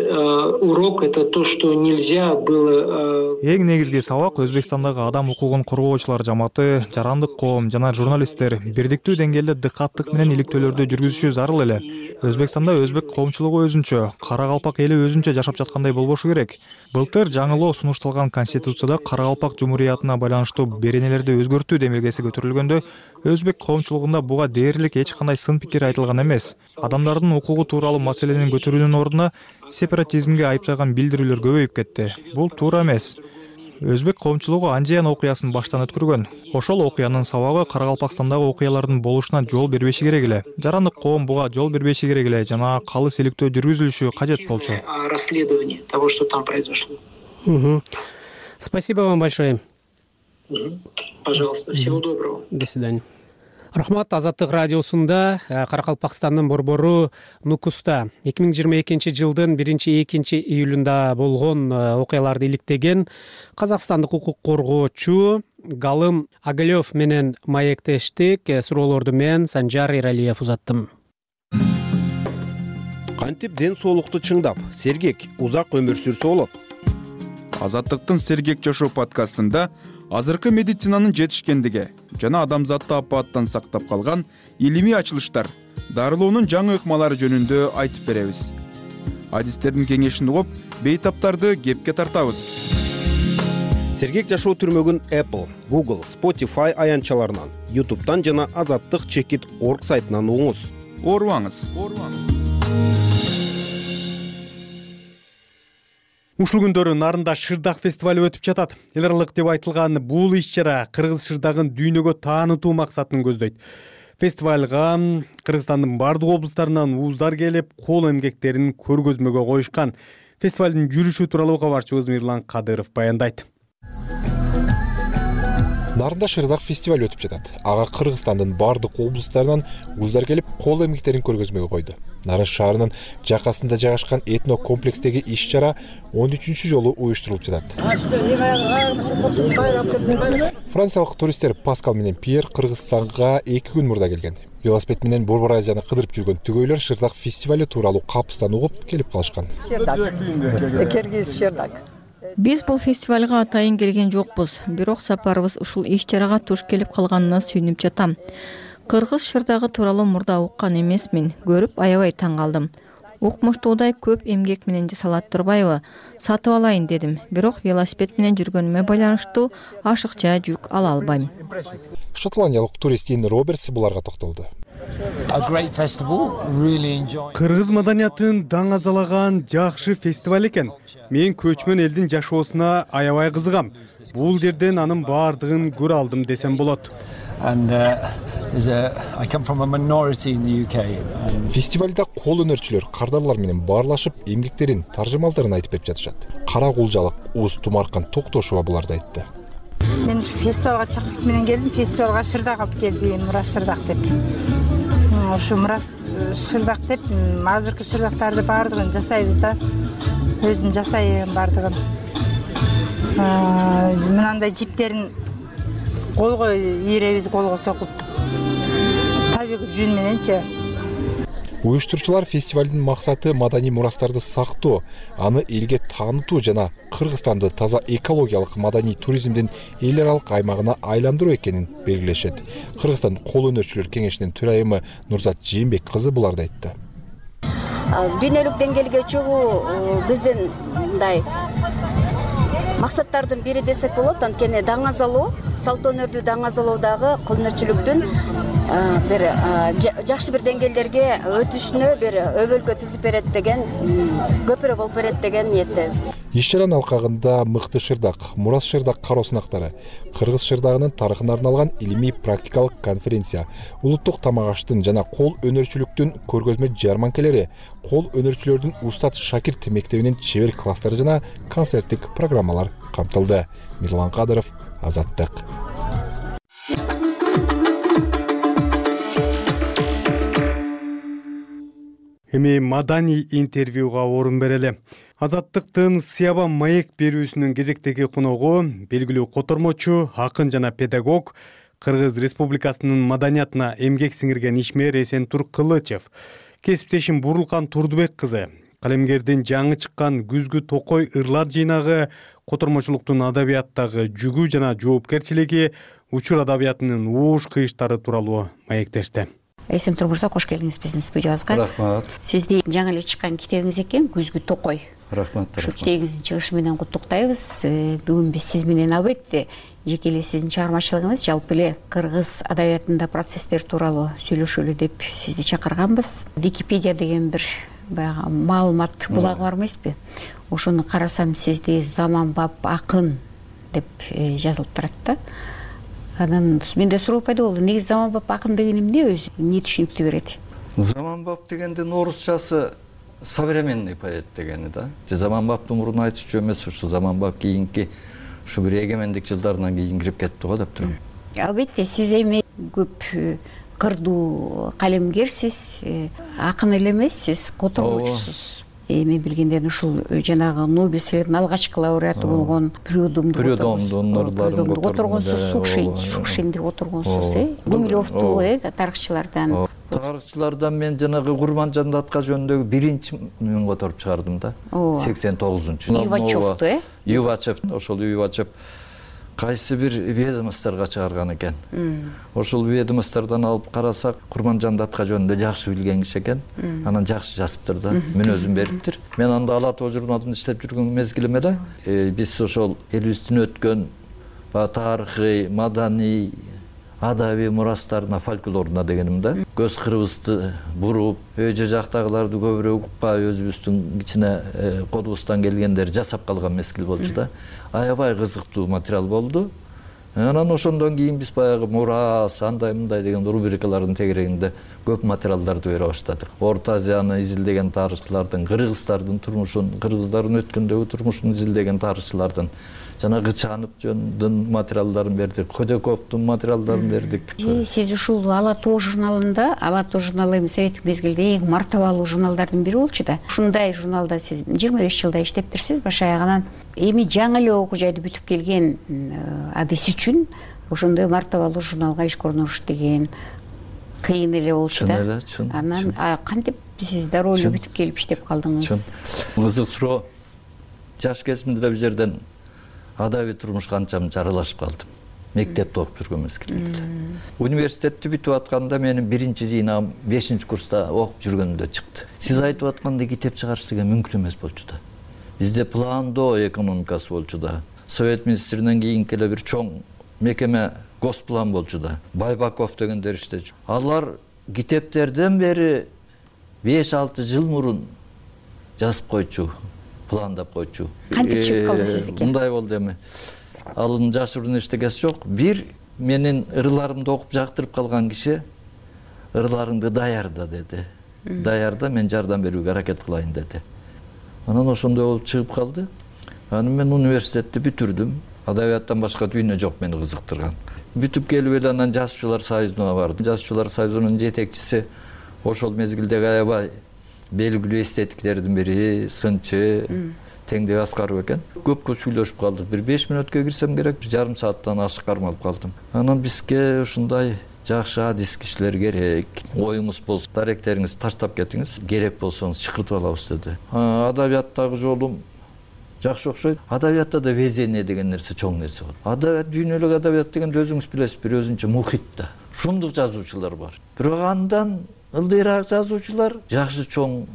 урок это то, что нельзя было. Эң негизги сабак Өзбекстандагы адам укугун коргоочулар жамааты, жарандык коом жана журналисттер бирдиктүү деңгээлде дыкаттык менен иликтөөлөрдү жүргүзүшү зарыл эле. Өзбекстанда өзбек коомчулугу өзүнчө, Каракалпак эли өзүнчө жашап жаткандай болбошу керек. Былтыр жаңылоо сунушталган Конституцияда Каракалпак Жумуриятына байланыштуу беренелерди өзгөртүү демилгеси көтөрүлгөндө өзбек коомчулугунда буга дээрлик эч кандай сын пикир айтылган эмес. Адамдардын укугу тууралуу маселени көтөрүүнүн ордуна сепаратизмге айыптаган билдирүүлөр көбөйүп кетти. Бул туура эмес. Өзбек коомчулугу Анжеян окуясын баштан өткөргөн. Ошол окуянын сабагы Каракалпакстандагы окуялардын болушуна жол бербеши керек эле. Жарандык коом буга жол бербеши керек эле жана калыс иликтөө жүргүзүлүшү кажет болчу. Расследование того, что там произошло. Спасибо вам большое. Пожалуйста, всего доброго. До свидания. Рахмат. Азаттык радиосунда Каракалпакстандын борбору Нукуста 2022 жылдын 1-2 июлунда болгон окуяларды иликтеген казакстандык укук коргоочу Галым Агалёв менен маектештик. Суроолорду мен Санжар Эралиев узаттым. Кантип ден соолукту чыңдап, сергек, узак өмүр сүрсө болот? Азаттыктын Сергек жашоо подкастында азыркы медицинанын жетишкендиги жана адамзатты апааттан сактап калган илимий ачылыштар, дарылоонун жаңы ыкмалары жөнүндө айтып беребиз. Адистердин кеңешин угуп, бейтаптарды кепке тартабыз. Сергек жашоо түрмөгүн Apple, Google, Spotify аянтчаларынан, YouTube'дан жана azattik.org сайтынан угуңуз. Оорубаңыз. Ушул күндөрү Нарында Шырдак фестивалы өтүп жатат. Эл аралык деп айтылган бул иш-чара кыргыз шырдагын дүйнөгө таанытуу максатын көздөйт. Фестивалга Кыргызстандын бардык облустарынан ууздар келип, кол эмгектерин көргөзмөгө коюшкан. Фестивалдын жүрүшү тууралуу кабарчыбыз Мирлан Кадыров баяндайт. Нарында Шырдак фестивалы өтүп жатат. Ага Кыргызстандын бардык облустарынан ууздар келип, кол эмгектерин көргөзмөгө койду. Нарын шаарынын жакасында жайгашкан этно комплекстеги иш-чара 13-чү жолу уюштурулуп жатат. Франциялык туристтер Паскал менен Пьер Кыргызстанга 2 күн мурда келген. Велосипед менен Борбор Азияны кыдырып жүргөн түгөйлөр Шырдак фестивалы тууралуу капыстан угуп келип калышкан. Киргиз Шырдак. Биз бул фестивалга атайын келген жокпуз, бирок сапарыбыз ушул иш-чарага туш келип калганына сүйүнүп жатам. Кыргыз шырдагы тууралуу мурда уккан эмесмин, көрүп аябай таң калдым. Укмуштуудай көп эмгек менен жасалат турбайбы? Сатып алайын дедим, бирок велосипед менен жүргөнүмө байланыштуу ашыкча жүк ала албайм. Шотландиялык турист Ин Робертс буларга токтолду. Кыргыз маданиятын даңазалаган жакшы фестиваль экен. Мен көчмөн элдин жашоосуна аябай кызыгам. Бул жерден анын баардыгын көрө алдым десем болот. Фестивалда кол өнөрчүлөр кардарлар менен баарлашып, эмгектерин, таржымалдарын айтып берип жатышат. Кара кулжалык, Уз Тумаркан Токтошова буларды айтты. Мен ушу фестивалга чакырып менен келдим, фестивалга Шырдак алып келдим, Мурас Шырдак деп. Ушу Мурас Шырдак деп, азыркы шырдактарды баардыгын жасайбыз да. Өзүм жасайм баардыгын. Мынандай жиптерин колго ийребиз, колго токуп. Табигый жүн мененчи. Уюштуручулар фестивалдын максаты маданий мурастарды сактоо, аны элге таанытуу жана Кыргызстанды таза экологиялык маданий туризмдин эл аралык аймагына айландыруу экенин белгилешет. Кыргызстан кол өнөрчүлөр кеңешинин төрайымы Нурзат Жээнбек кызы буларды айтты. Дүйнөлүк деңгээлге чыгуу биздин мындай максаттардын бири десек болот. Анткени даңазалоо, салт өнөрдү даңазалоодагы кол өнөрчүлүктүн бир жакшы бир деңгээлдерге өтүшүнө бир өбөлгө түзүп берет деген, көпүрө болуп берет деген ниеттебиз. Иш чаранын алкагында Мыкты Шырдак, Мурас Шырдак кароо сынактары, Кыргыз шырдагынын тарыхына арналган илимий практикалык конференция, улуттук тамак аштын жана кол өнөрчүлүктүн көргөзмө жарманкелери, кол өнөрчүлөрдүн устат шакирт мектебинин чебер класстары жана концерттик программалар камтылды. Мирлан Кадыров, Азаттык. Эми маданий интервьюга орун берели. Азаттыктын Сыяба маек берүүсүнүн кезектеги коногу белгилүү котормочу, акын жана педагог, Кыргыз Республикасынын маданиятына эмгек сиңирген ишмер Эсентур Кылычев. Кесиптешим Бурулкан Турдубек кызы, калемгердин жаңы чыккан Күзгү Токой ырлар жыйнагы, котормочулуктун адабияттагы жүгү жана жоопкерчилиги, учур адабиятынын ууш кыйыштары тууралуу маектешти. Эсентур мырза, кош келдиңиз биздин студиябызга. Рахмат. Сизди жаңы эле чыккан китебиңиз экен, Күзгү Токой. Рахмат. Ушул китебиңиздин чыгышы менен куттуктайбыз. Бүгүн биз сиз менен албетте жеке эле сиздин чыгармачылыгыңыз, жалпы эле кыргыз адабиятында процесстер тууралуу сүйлөшөлү деп сизди чакырганбыз. Википедия деген бир баягы маалымат булагы бар эмеспи? Ошону карасам сизди заманбап акын деп жазылып турат да. Анан менде суроо пайда болду. Негизи заманбап акын деген эмне өзү? Эмне түшүнүктүү берет? Заманбап дегендин орусчасы современный поэт дегени да. Заманбаптын мурун айтышчу эмес, ушу заманбап кийинки ушу бир эгемендик жылдарынан кийин кирип кетти го деп турам. Албетте сиз эми көп кырдуу калемгерсиз, акын эле эмес, сиз котормочусуз. Мен билгенден ушул жанагы Нобель сыйлыгынын алгачкы лауреаты болгон Прюдомду которгонсуз, Шукшинди которгонсуз, Гумилевду тарыхчылардан. Тарыхчылардан мен жанагы Курманжан датка жөнүндөгү биринчи мен которуп чыгардым да. 89-жылы. Ювачевду, Ювачев, ошол Ювачев кайсы бир ведомстволорго чыгарган экен. Ошол ведомстволордон алып карасак, Курманжан датка жөнүндө жакшы билген киши экен. Анан жакшы жазыптыр да, мүнөзүн бериптир. Мен анда Ала Тоо журналында иштеп жүргөн мезгилимде биз ошол элибиздин өткөн тарыхый, маданий, адабий мурастарына, фольклоруна дегенимде көз кырыбызды буруп, өйжө жактагыларды көбүрөөк укпай, өзүбүздүн кичине колубуздан келгендер жасап калган мезгил болчу да. Аябай кызыктуу материал болду. Анан ошондон кийин биз баягы мурас, андай мындай деген рубрикалардын тегерегинде көп материалдарды бере баштадык. Орто Азияны изилдеген тарыхчылардын, кыргыздардын турмушун, кыргыздардын өткөндөгү турмушун изилдеген тарыхчылардын жана Гычанов жөнүндө материалдарын бердик, Ходяковдун материалдарын бердик. Сиз ушул Ала Тоо журналында, Ала Тоо журналы эми советтик мезгилде эң мартабалуу журналдардын бири болчу да. Ушундай журналда сиз 25 жылда иштептирсиз, баш аягынан. Эми жаңы эле окуу жайды бүтүп келген адис үчүн ошондой мартабалуу журналга ишке орношуш деген кыйын эле болчу да. Анан кантип сиз дароо эле бүтүп келип иштеп калдыңыз? Кызык суроо. Жаш кезимде бул жерден адабий турмушка анча-мынча аралашып калдым. Мектепте окуп жүргөн мезгилимде. Университетти бүтүп атканда менин биринчи жыйнагым 5-курста окуп жүргөндө чыкты. Сиз айтып аткандай китеп чыгарыш деген мүмкүн эмес болчу да. Бизде пландоо экономикасы болчу да. Совет министринен кийинки эле бир чоң мекеме Госплан болчу да. Байбаков дегендер иштечү. Алар китептерден бери 5-6 жыл мурун жазып койчу, пландап койчу. Кантип чыгып калды сиздики? Мындай болду эми. Алын жашыруун эчтекеси жок. Бир менин ырларымды окуп жактырып калган киши ырларыңды даярда деди. Даярда, мен жардам берүүгө аракет кылайын деди. Анан ошондой болуп чыгып калды. Анан мен университетти бүтүрдүм. Адабияттан башка дүйнө жок мени кызыктырган. Бүтүп келип эле анан жазуучулар союзуна бардым. Жазуучулар союзунун жетекчиси ошол мезгилдеги аябай белгилүү эстетиктердин бири, сынчы Теңдек Аскаров экен. Көпкө сүйлөшүп калдык. Бир 5 мүнөткө кирсем керек, жарым сааттан ашык кармалып калдым. Анан бизге ушундай жакшы адис кишилер керек. Оюңуз болсо, даректериңизди таштап кетиңиз, керек болсоңуз чакыртып алабыз деди. Адабияттагы жолум жакшы окшойт. Адабиятта да везение деген нерсе чоң нерсе бар. Адабият, дүйнөлүк адабият дегенде өзүңүз билесиз, бир өзүнчө мухит да. Шундук жазуучулар бар. Бирок андан ылдыйраак жазуучулар жакшы чоң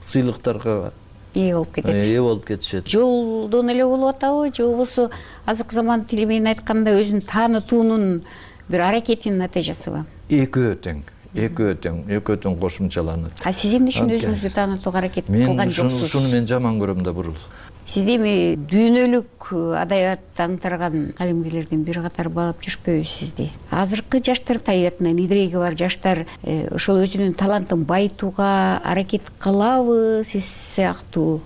сыйлыктарга ээ болуп кетет. Ээ болуп кетишет. Жолдон эле болуп атабы, же болбосо азыркы заман тили менен айтканда өзүн таанытуунун бир аракетинин натыйжасыбы? Экөө тең кошумчаланат. Сиз эмне үчүн өзүңүздү таанытууга аракет кылган жоксуз? Шуну мен жаман көрөм да бурул. Сизди эми дүйнөлүк адабиятты аңтарган калемгерлердин бир катары баалап жүрүшпөйбү сизди? Азыркы жаштар табиятынан идиреги бар жаштар ошол өзүнүн талантын байытууга аракет кылабы сиз сыяктуу?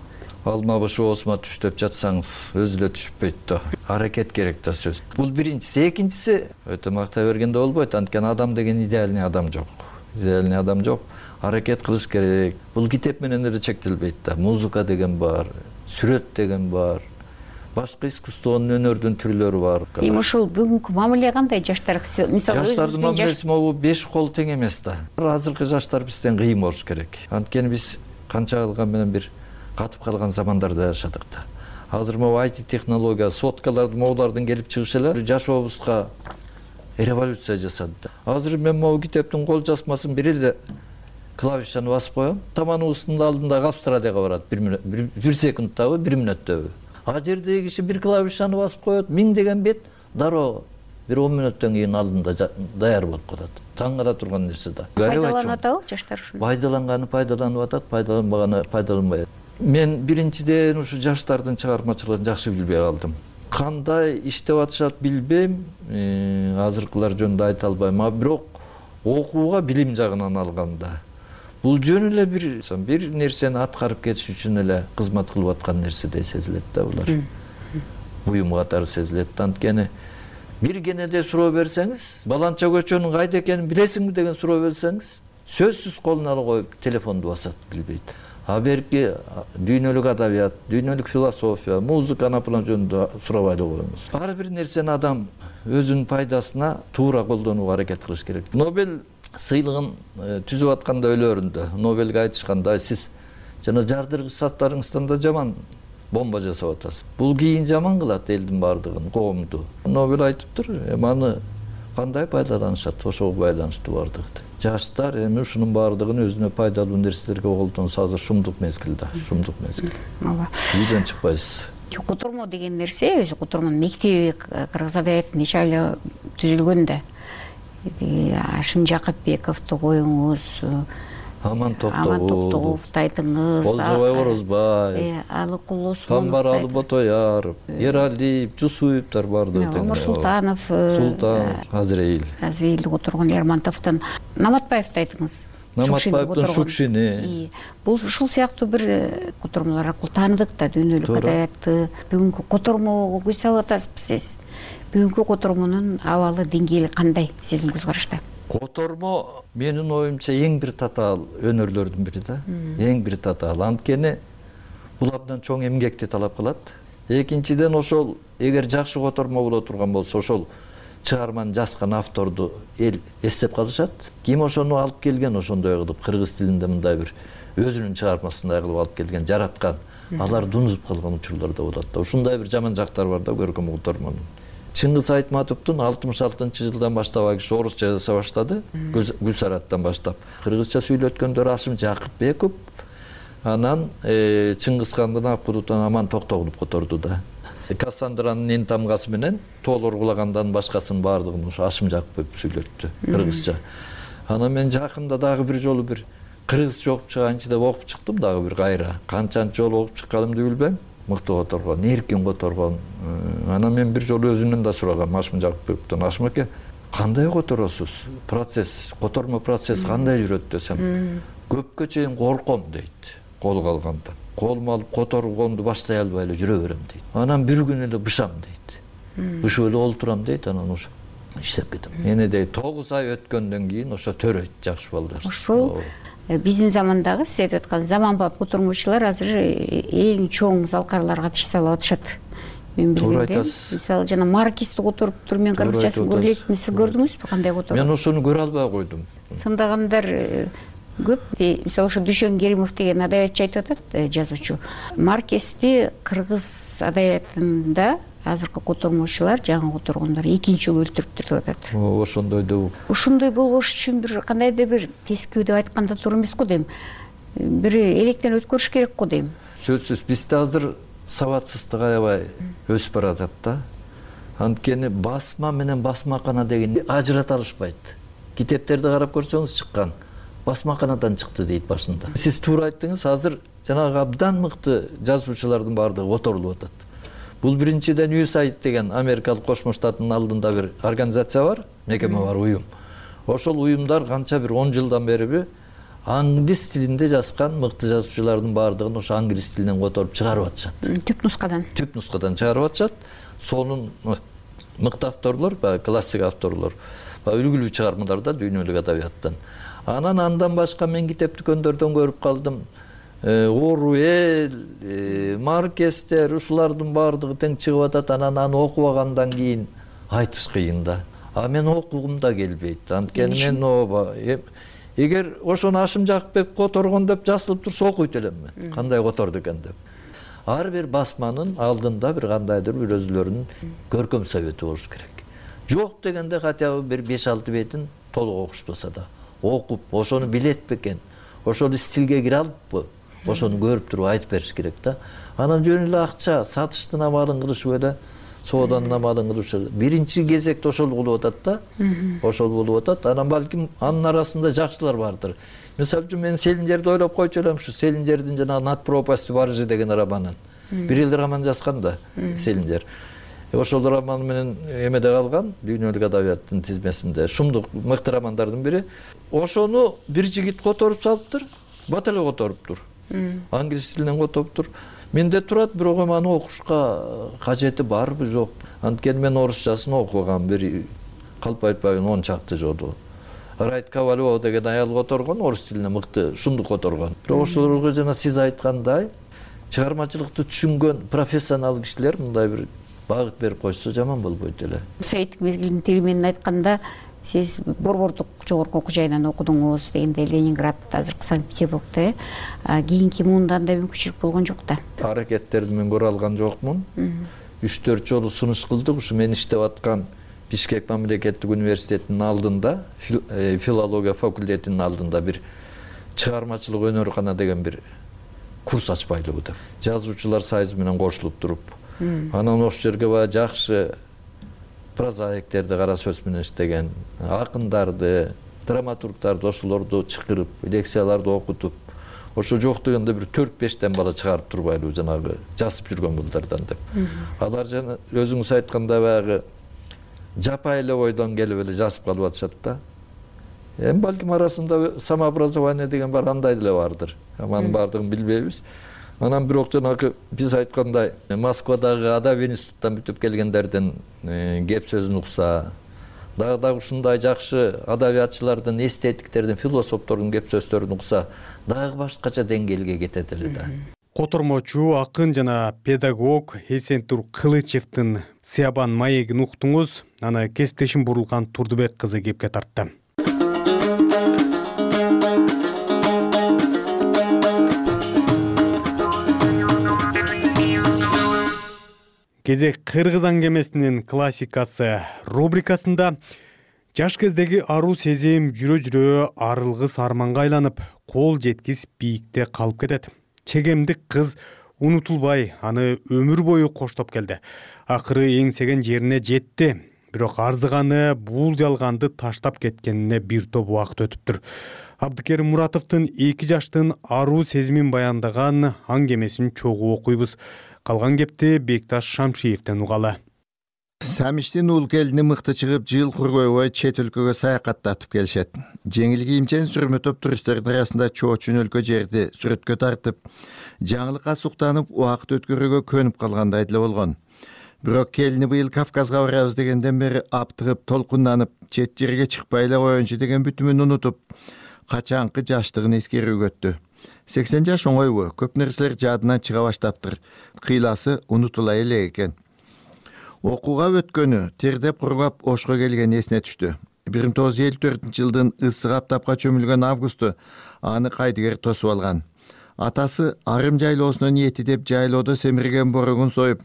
Алма башы оосума түш деп жатсаңыз өзү эле түшпөйт да. Аракет керек да сөз. Бул биринчиси. Экинчиси өтө мактай бергенде болбойт. Анткени адам деген идеальный адам жок. Идеальный адам жок. Аракет кылыш керек. Бул китеп менен эле чектелбейт да. Музыка деген бар, сүрөт деген бар. Башка искусствонун өнөрдүн түрлөрү бар. Эми ошол бүгүнкү мамиле кандай жаштар? Мисалы жаштардын мамилеси могу 5 кол тең эмес да. Азыркы жаштар бизден кыйын болуш керек. Анткени биз канча кылган менен бир катып калган замандарда жашадык да. Азыр могу IT технология, соткаларды моулардын келип чыгышылары жашообузга революция жасады да. Азыр мен могу китептин кол жазмасын бир эле клавишаны басып коем, таманыбыздын алдындагы Австралияга барат 1 секундтабы, 1 мүнөттөбү. А жердеги киши бир клавишаны басып коет, 1000 деген бет дароо бир 10 мүнөттөн кийин алдында даяр болуп калат. Таң кала турган нерсе да. Пайдаланып атабы жаштар ушуну? Пайдаланганы пайдаланып атат, пайдаланбаганы пайдаланбайт. Мен биринчиден ушу жаштардын чыгармачылыгын жакшы билбей калдым. Кандай иштеп атышат билбейм, азыркылар жөнүндө айта албайм, а бирок окууга билим жагынан алганда бул жөн эле бир нерсени аткарып кетиш үчүн эле кызмат кылып аткан нерседей сезилет да булар. Буюм катары сезилет. Анткени бир кенеде суроо берсеңиз, баланча көчөнүн кайда экенин билесиңби деген суроо берсеңиз, сөзсүз колуна алып коюп телефонду басат, билбейт. А берки дүйнөлүк адабият, дүйнөлүк философия, музыка анапылан жөнүндө сурабай эле коебуз. Ар бир нерсени адам өзүнүн пайдасына туура колдонууга аракет кылыш керек. Нобель сыйлыгын түзүп атканда өлөрүндө Нобельге айтышканда, сиз жана жардыргыч заттарыңыздан да жаман бомба жасап атасыз. Бул кийин жаман кылат элдин баардыгын, коомду. Нобель айтыптыр, аны кандай пайдаланышат, ошого байланыштуу баардыгы. Жаштар эми ушунун баардыгын өзүнө пайдалуу нерселерге колдонсо азыр шумдук мезгил да, шумдук мезгил. Ооба. Үйдөн чыкпайсыз. Котормо деген нерсе, өзү котормонун мектеби кыргыз адабиятында нече айла түзүлгөн да. Ашим Жакыпбековду коюңуз, Аман Токтогуловду айтыңыз, Болжобай Орозбай, Алыкулов, Камбар Алботояров, Ералиев, Жусуевдер бардыгы. Омар Султанов, Азреилди которгон Лермонтовдун, Наматбаевди айтыңыз. Наматбаевдин Шукшини. Бул ушул сыяктуу бир котормолор аркылуу тааныдык да дүйнөлүк адабиятты. Бүгүнкү котормого көз салып атасызбы сиз? Бүгүнкү котормонун абалы, деңгээли кандай сиздин көз карашта? Котормо менин оюмча эң бир татаал өнөрлөрдүн бири да. Эң бир татаал. Анткени бул абдан чоң эмгекти талап кылат. Экинчиден ошол эгер жакшы котормо боло турган болсо, ошол чыгарманы жазган авторду эл эстеп калышат. Ким ошону алып келген, ошондой кылып кыргыз тилинде мындай бир өзүнүн чыгармасындай кылып алып келген, жараткан, аларды унутуп калган учурлар да болот да. Ушундай бир жаман жактары бар да көркөм котормонун. Чыңгыз Айтматовдун 66-жылдан баштап киши орусча жаза баштады, Гүлсараттан баштап. Кыргызча сүйлөткөндөр Ашим Жакыпбеков, анан Чыңгыз хандын Акбудутан Аман Токтогулов которду да. Кассандранын эн тамгасы менен тоолор кулагандан башкасын баардыгын ушу Ашим Жакыпбеков сүйлөттү кыргызча. Анан мен жакында дагы бир жолу бир кыргызча окуп чыганчы деп окуп чыктым дагы бир кайра. Канчанчы жолу окуп чыкканымды билбейм. Мыктуу которгон, эркин которгон. Анан мен бир жолу өзүнөн да сурагам Ашим Жакыпбековдон. Ашим аке, кандай которосуз? Процесс, котормо процесс кандай жүрөт десем, көпкө чейин корком дейт. Колго алганда. Колума алып которгонду баштай албай эле жүрө берем дейт. Анан бир күн эле бышам дейт. Бышып эле олтурам дейт, анан ошо иштеп кетем. Эне дейт 9 ай өткөндөн кийин ошо төрөйт жакшы балдар. Ошол биздин замандагы сиз айтып аткан заманбап котормочулар азыр эң чоң залкарларга тиш салып атышат. Мен билгенден, мисалы жана Маркизди которуптур, мен кыргызчасын көрө электим. Сиз көрдүңүзбү кандай которду? Мен ошону көрө албай койдум. Сындагандар көп. Мисалы ошо Дүйшөн Керимов деген адабиятчы айтып атат, жазуучу. Маркизди кыргыз адабиятында азыркы котормочулар, жаңы которгондор экинчи жолу өлтүрүптүр деп атат. Ошондой деп. Ошондой болбош үчүн бир кандайдыр бир тескөө деп айтканда туура эмес го дейм. Бир электен өткөрүш керек го дейм. Сөзсүз бизде азыр сабатсыздык аябай өсүп баратат да. Анткени басма менен басмакана деген ажырата алышпайт. Китептерди карап көрсөңүз чыккан басмаканадан чыкты дейт башында. Сиз туура айттыңыз, азыр жанагы абдан мыкты жазуучулардын баардыгы которулуп атат. Бул биринчиден USAID деген Америкалык Кошмо Штаттын алдында бир организация бар, мекеме бар, уюм. Ошол уюмдар канча бир 10 жылдан бериби англис тилинде жазган мыкты жазуучулардын баардыгын ошо англис тилинен которуп чыгарып атышат. Түп нускадан чыгарып атышат. Сонун мыкты авторлор, классик авторлор, үлгүлүү чыгармаларда дүйнөлүк адабияттан. Андан башка мен китеп дүкөндөрдөн көрүп калдым. Оруэлл, Маркестер, ушулардын баардыгы тең чыгып атат. Аны окубагандан кийин айтыш кыйын да. Мен окугум да келбейт. Анткени мен эгер ошону Ашым Жакыпбек которгон деп жазылып турса окуйт элем мен. Кандай которду экен деп. Ар бир басманын алдында бир кандайдыр бир өзүлөрүнүн көркөм совети болуш керек. Жок дегенде хотя бы бир 5-6 бетин толук окушпаса да окуп, ошону билет бекен, ошол стилге кире алыппы, ошону көрүп туруп айтып бериш керек да. Анан жөн эле акча сатыштын амалын кылышып эле, сооданын амалын кылышып, биринчи кезекте ошол болуп атат да. Ошол болуп атат. Анан балким анын арасында жакшылар бардыр. Мисалы үчүн мен Селинжерди ойлоп койчу элем, ушу Селинжердин жана Над пропастью Баржи деген романын. Бир эл роман жазган да Селинжер. Ошол роман менен эмеде калган, дүйнөлүк адабияттын тизмесинде шумдук мыкты романдардын бири. Ошону бир жигит которуп салыптыр, бат эле которуптур. Англис тилинен которуптур. Менде турат, бирок аны окушка кажети барбы, жок. Анткени мен орусчасын окугам, бир калп айтпайын 10 чакты жолу. Райт Ковалева деген аял которгон, орус тилине мыкты шумдук которгон. Бирок ошолорго жана сиз айткандай чыгармачылыкты түшүнгөн профессионал кишилер мындай бир багыт берип койсо жаман болбойт эле. Советтик мезгилдин тили менен айтканда, сиз Борбордук жогорку окуу жайынан окудуңуз дегенде Ленинград, азыркы Санкт-Петербургда, кийинки муунда андай мүмкүнчүлүк болгон жок да. Аракеттерди мен көрө алган жокмун. 3-4 жолу сунуш кылдык. Ушу мен иштеп аткан Бишкек мамлекеттик университетинин алдында, филология факультетинин алдында бир чыгармачылык өнөркана деген бир курс ачпайлыбы деп. Жазуучулар союзу менен кошулуп туруп, анан ошол жерге баягы жакшы прозаиктерди кара сөз менен иштеген, акындарды, драматургдарды ошолорду чакырып, лекцияларды окутуп, ошо жок дегенде бир 4-5 бала чыгарып турбайлыбы жанагы жазып жүргөн булдардан деп. Алар жана өзүңүз айткандай баягы жапай эле ойдон келип эле жазып калып атышат да. Балким арасында самообразование деген бар, андай деле бардыр. Анын баардыгын билбейбиз. Анан бирок жанагы биз айткандай Москвадагы адабий институттан бүтүп келгендердин кеп сөзүн укса, дагы ушундай жакшы адабиятчылардын, эстетиктердин, философтордун кеп сөздөрүн укса, дагы башкача деңгээлге кетет эле да. Котормочу, акын жана педагог Эсентур Кылычевдин Сыябан маегин уктуңуз. Аны кесиптешим Бурулган Турдубек кызы кепке тартты. Кезек кыргыз аңгемесинин классикасы рубрикасында жаш кездеги аруу сезим жүрө-жүрө арылгыс арманга айланып, кол жеткис бийикте калып кетет. Чегемдик кыз унутулбай, аны өмүр бою коштоп келди. Акыры эңсеген жерине жетти. Бирок арзыганы бул жалганды таштап кеткенине бир топ убакыт өтүптүр. Абдыкерим Муратовдун 2 жаштын аруу сезимин баяндаган аңгемесин чогуу окуйбуз. Калган кепти Бекташ Шамшиевден угалы. Самиштин ул келини мыкты чыгып, жыл кургойбой чет өлкөгө саякаттатып келишет. Жеңил кийимчен сүрмөтөп туристтердин арасында чоочун өлкө жерди сүрөткө тартып, жаңылыкка суктанып, убакыт өткөрүүгө көнүп калгандай деле болгон. Бирок келини быйыл Кавказга барабыз дегенден бери аптыгып, толкунданып, чет жерге чыкпай эле коеюнчу деген бүтүмүн унутуп, качанкы жаштыгын эскерүүгө өттү. 80 жаш оңойбу, көп нерселер жадынан чыга баштаптыр. Кыйласы унутула элек экен. Окууга өткөнү, тердеп кургап Ошко келген эсине түштү. 1954-жылдын ысык аптапка чөмүлгөн августу аны кайдыгер тосуп алган. Атасы арым жайлоосуна ниети деп жайлоодо семирген боругун союп,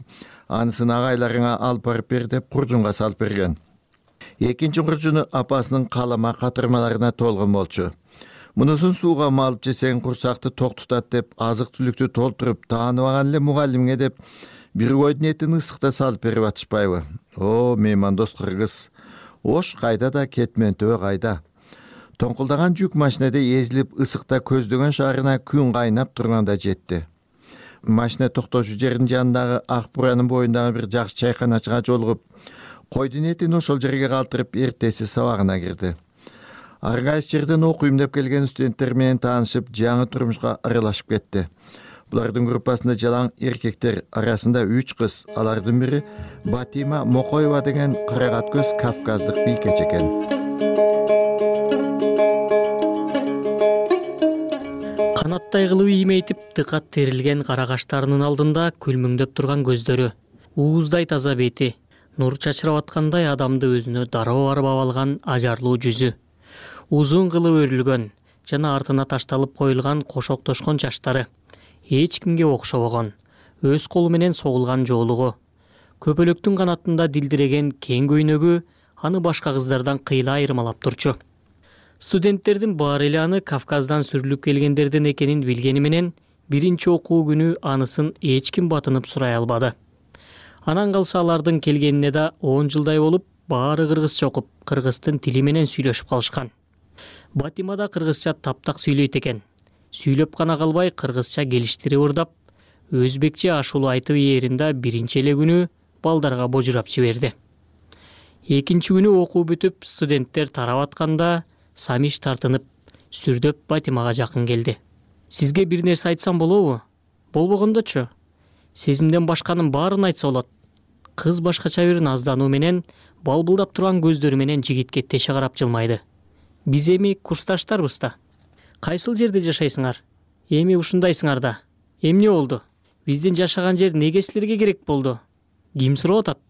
анысын агайларыңа алып барып бер деп куржунга салып берген. Экинчи куржуну апасынын калама катырмаларына толгон болчу. Мунусун сууга малып жесең курсакты ток тутат деп, азык-түлүктү толтуруп, тааныбаган эле мугалимге деп бир койдун этин ысыкта салып берип атышпайбы? О, меймандос кыргыз. Ош кайда да кетмен төбө кайда. тоңкулдаган жүк машинеде эзилип ысыкта көздөгөн шаарына күн кайнап турганда жетти. Машина токтоочу жердин жанындагы ак буранын боюндагы бир жакшы чайканачыга жолугуп, койдун этин ошол жерге калтырып эртеси сабагына кирди. Ар кайсы жерден окуйм деп келген студенттер менен таанышып, жаңы турмушка аралашып кетти. Булардын группасында жалаң эркектер, арасында 3 кыз. Алардын бири Батима Мокоева деген карагат көз кавказдык бийкеч экен. Канаттай кылып иймейтип, тыкат терилген кара каштарынын алдында күлмүңдөп турган көздөрү, ууздай таза бети, нур чачырап аткандай адамды өзүнө дароо арбап алган ажарлуу жүзү, узун кылып өрүлгөн жана артына ташталып коюлган кошоктошкон чачтары, эч кимге окшобогон, өз колу менен согулган жоолугу, көпөлөктүн канатында дилдиреген кең көйнөгү аны башка кыздардан кыйла айырмалап турчу. Студенттердин баары эле аны Кавказдан сүрүлүп келгендерден экенин билгени менен биринчи окуу күнү анысын эч ким батынып сурай албады. Анан калса алардын келгенине да 10 жылдай болуп, баары кыргызча окуп, кыргыздын тили менен сүйлөшүп калышкан. Батима да кыргызча таптак сүйлөйт экен. Сүйлөп гана калбай кыргызча келиштирип ырдап, өзбекче ашуулу айтып ээринде биринчи эле күнү балдарга божурап жиберди. Экинчи күнү окуу бүтүп, студенттер тарап атканда Самиш тартынып, сүрдөп Батимага жакын келди. Сизге бир нерсе айтсам болобу? Болбогондочу? Сезимден башканын баарын айтса болот. Кыз башкача бир наздануу менен, балбылдап турган көздөрү менен жигитке теше карап жылмайды. Биз эми курсташтарбыз да. Кайсыл жерде жашайсыңар? Эми ушундайсыңар да. Эмне болду? Биздин жашаган жер неге силерге керек болду? Ким сурап атат?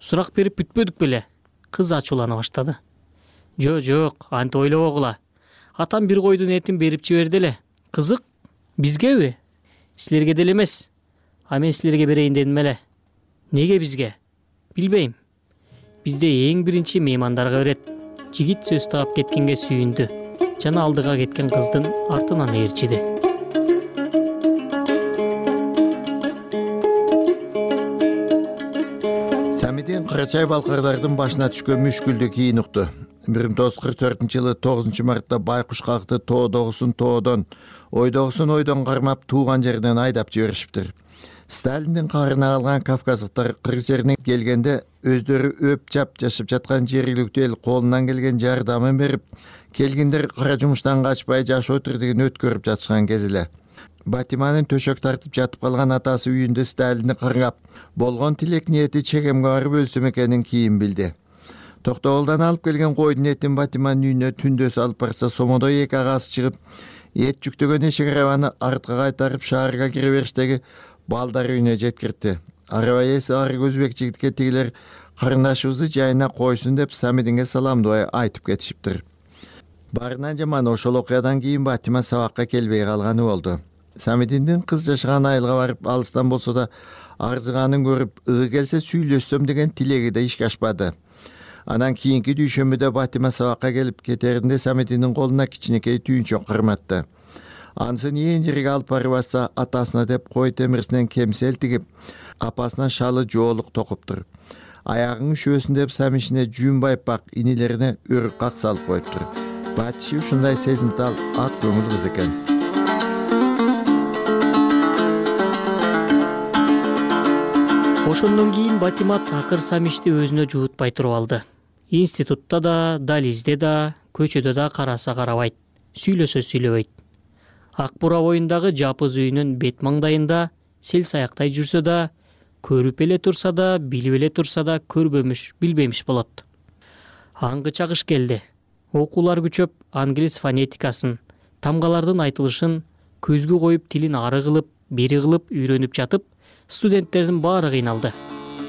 Сурак берип бүтпөдүк беле? Кыз ачуулана баштады. Жок, антип ойлобогула. Атам бир койдун этин берип жиберди эле. Кызык, бизгеби? Силерге деле эмес. А мен силерге берейин дедим эле. Неге бизге? Билбейм. Бизде эң биринчи меймандарга берет. Жигит сөз таап кеткенге сүйүндү. Жана алдыга кеткен кыздын артынан ээрчиди. Самидин Кырачай балкарлардын башына түшкөн мүшкүлдү кийин укту. 1944-жылы 9 мартта байкуш какты тоодогусун тоодон, ойдогусун кармап тууган жерден айдап жиберишиптир. Сталиндин каарына калган кавказдыктар кыргыз жерине келгенде өздөрү өп жап жашап жаткан жергиликтүү эл колунан келген жардамын берип, келгиндер кара жумуштан качпай жашоо тирдигин өткөрүп жатышкан кез эле. Батиманын төшөк тартып жатып калган атасы үйүндө Сталинди кыргап, болгон тилек ниети чегемге барып өлсөм экенин кийин билди. Токтогулдан алып келген койдун этин Батиманын үйүнө түндө салып барса, сомодой 2 агасы чыгып, эт жүктөгөн эшик арабаны артка кайтарып шаарга кире бериштеги балдар үйүнө жеткирди. Араба ээси арык өзбек жигитке тигилер карындашыбызды жайына койсун деп Самидинге саламдабай айтып кетишиптир. Баарынан жаман ошол окуядан кийин Батима сабакка келбей калганы болду. Самидиндин кыз жашаган айылга барып, алыстан болсо да арзыганын көрүп, келсе сүйлөшсөм деген тилеги да ишке ашпады. Анан кийинки дүйшөмбүдө Батима сабакка келип кетеринде Самидиндин колуна кичинекей түйүнчөк карматты. Анысын ээн жерге алып барып атса, атасына деп кой темирсинен кемсел тигип, апасына шалы жоолук токуптур. Аягың үшөсүн деп Самишине жүүн байпак, инилерине өрүк как салып коюптур. Батиши ушундай сезимтал, ак көңүл кыз экен. Ошондон кийин Батима такыр Самишти өзүнө жуутпай туруп алды. Институтта да, дализде да, көчөдө да караса карабайт, сүйлөсө сүйлөбөйт. Ак бура боюндагы жапыз үйүнүн бет маңдайында сел саяктай жүрсө да, көрүп эле турса да, билип эле турса да, көрбөмүш, билбемиш болот. Аңгы чагыш келди. Окуулар күчөп, англис фонетикасын, тамгалардын айтылышын көзгө коюп, тилин ары кылып, бери кылып үйрөнүп жатып, студенттердин баары кыйналды.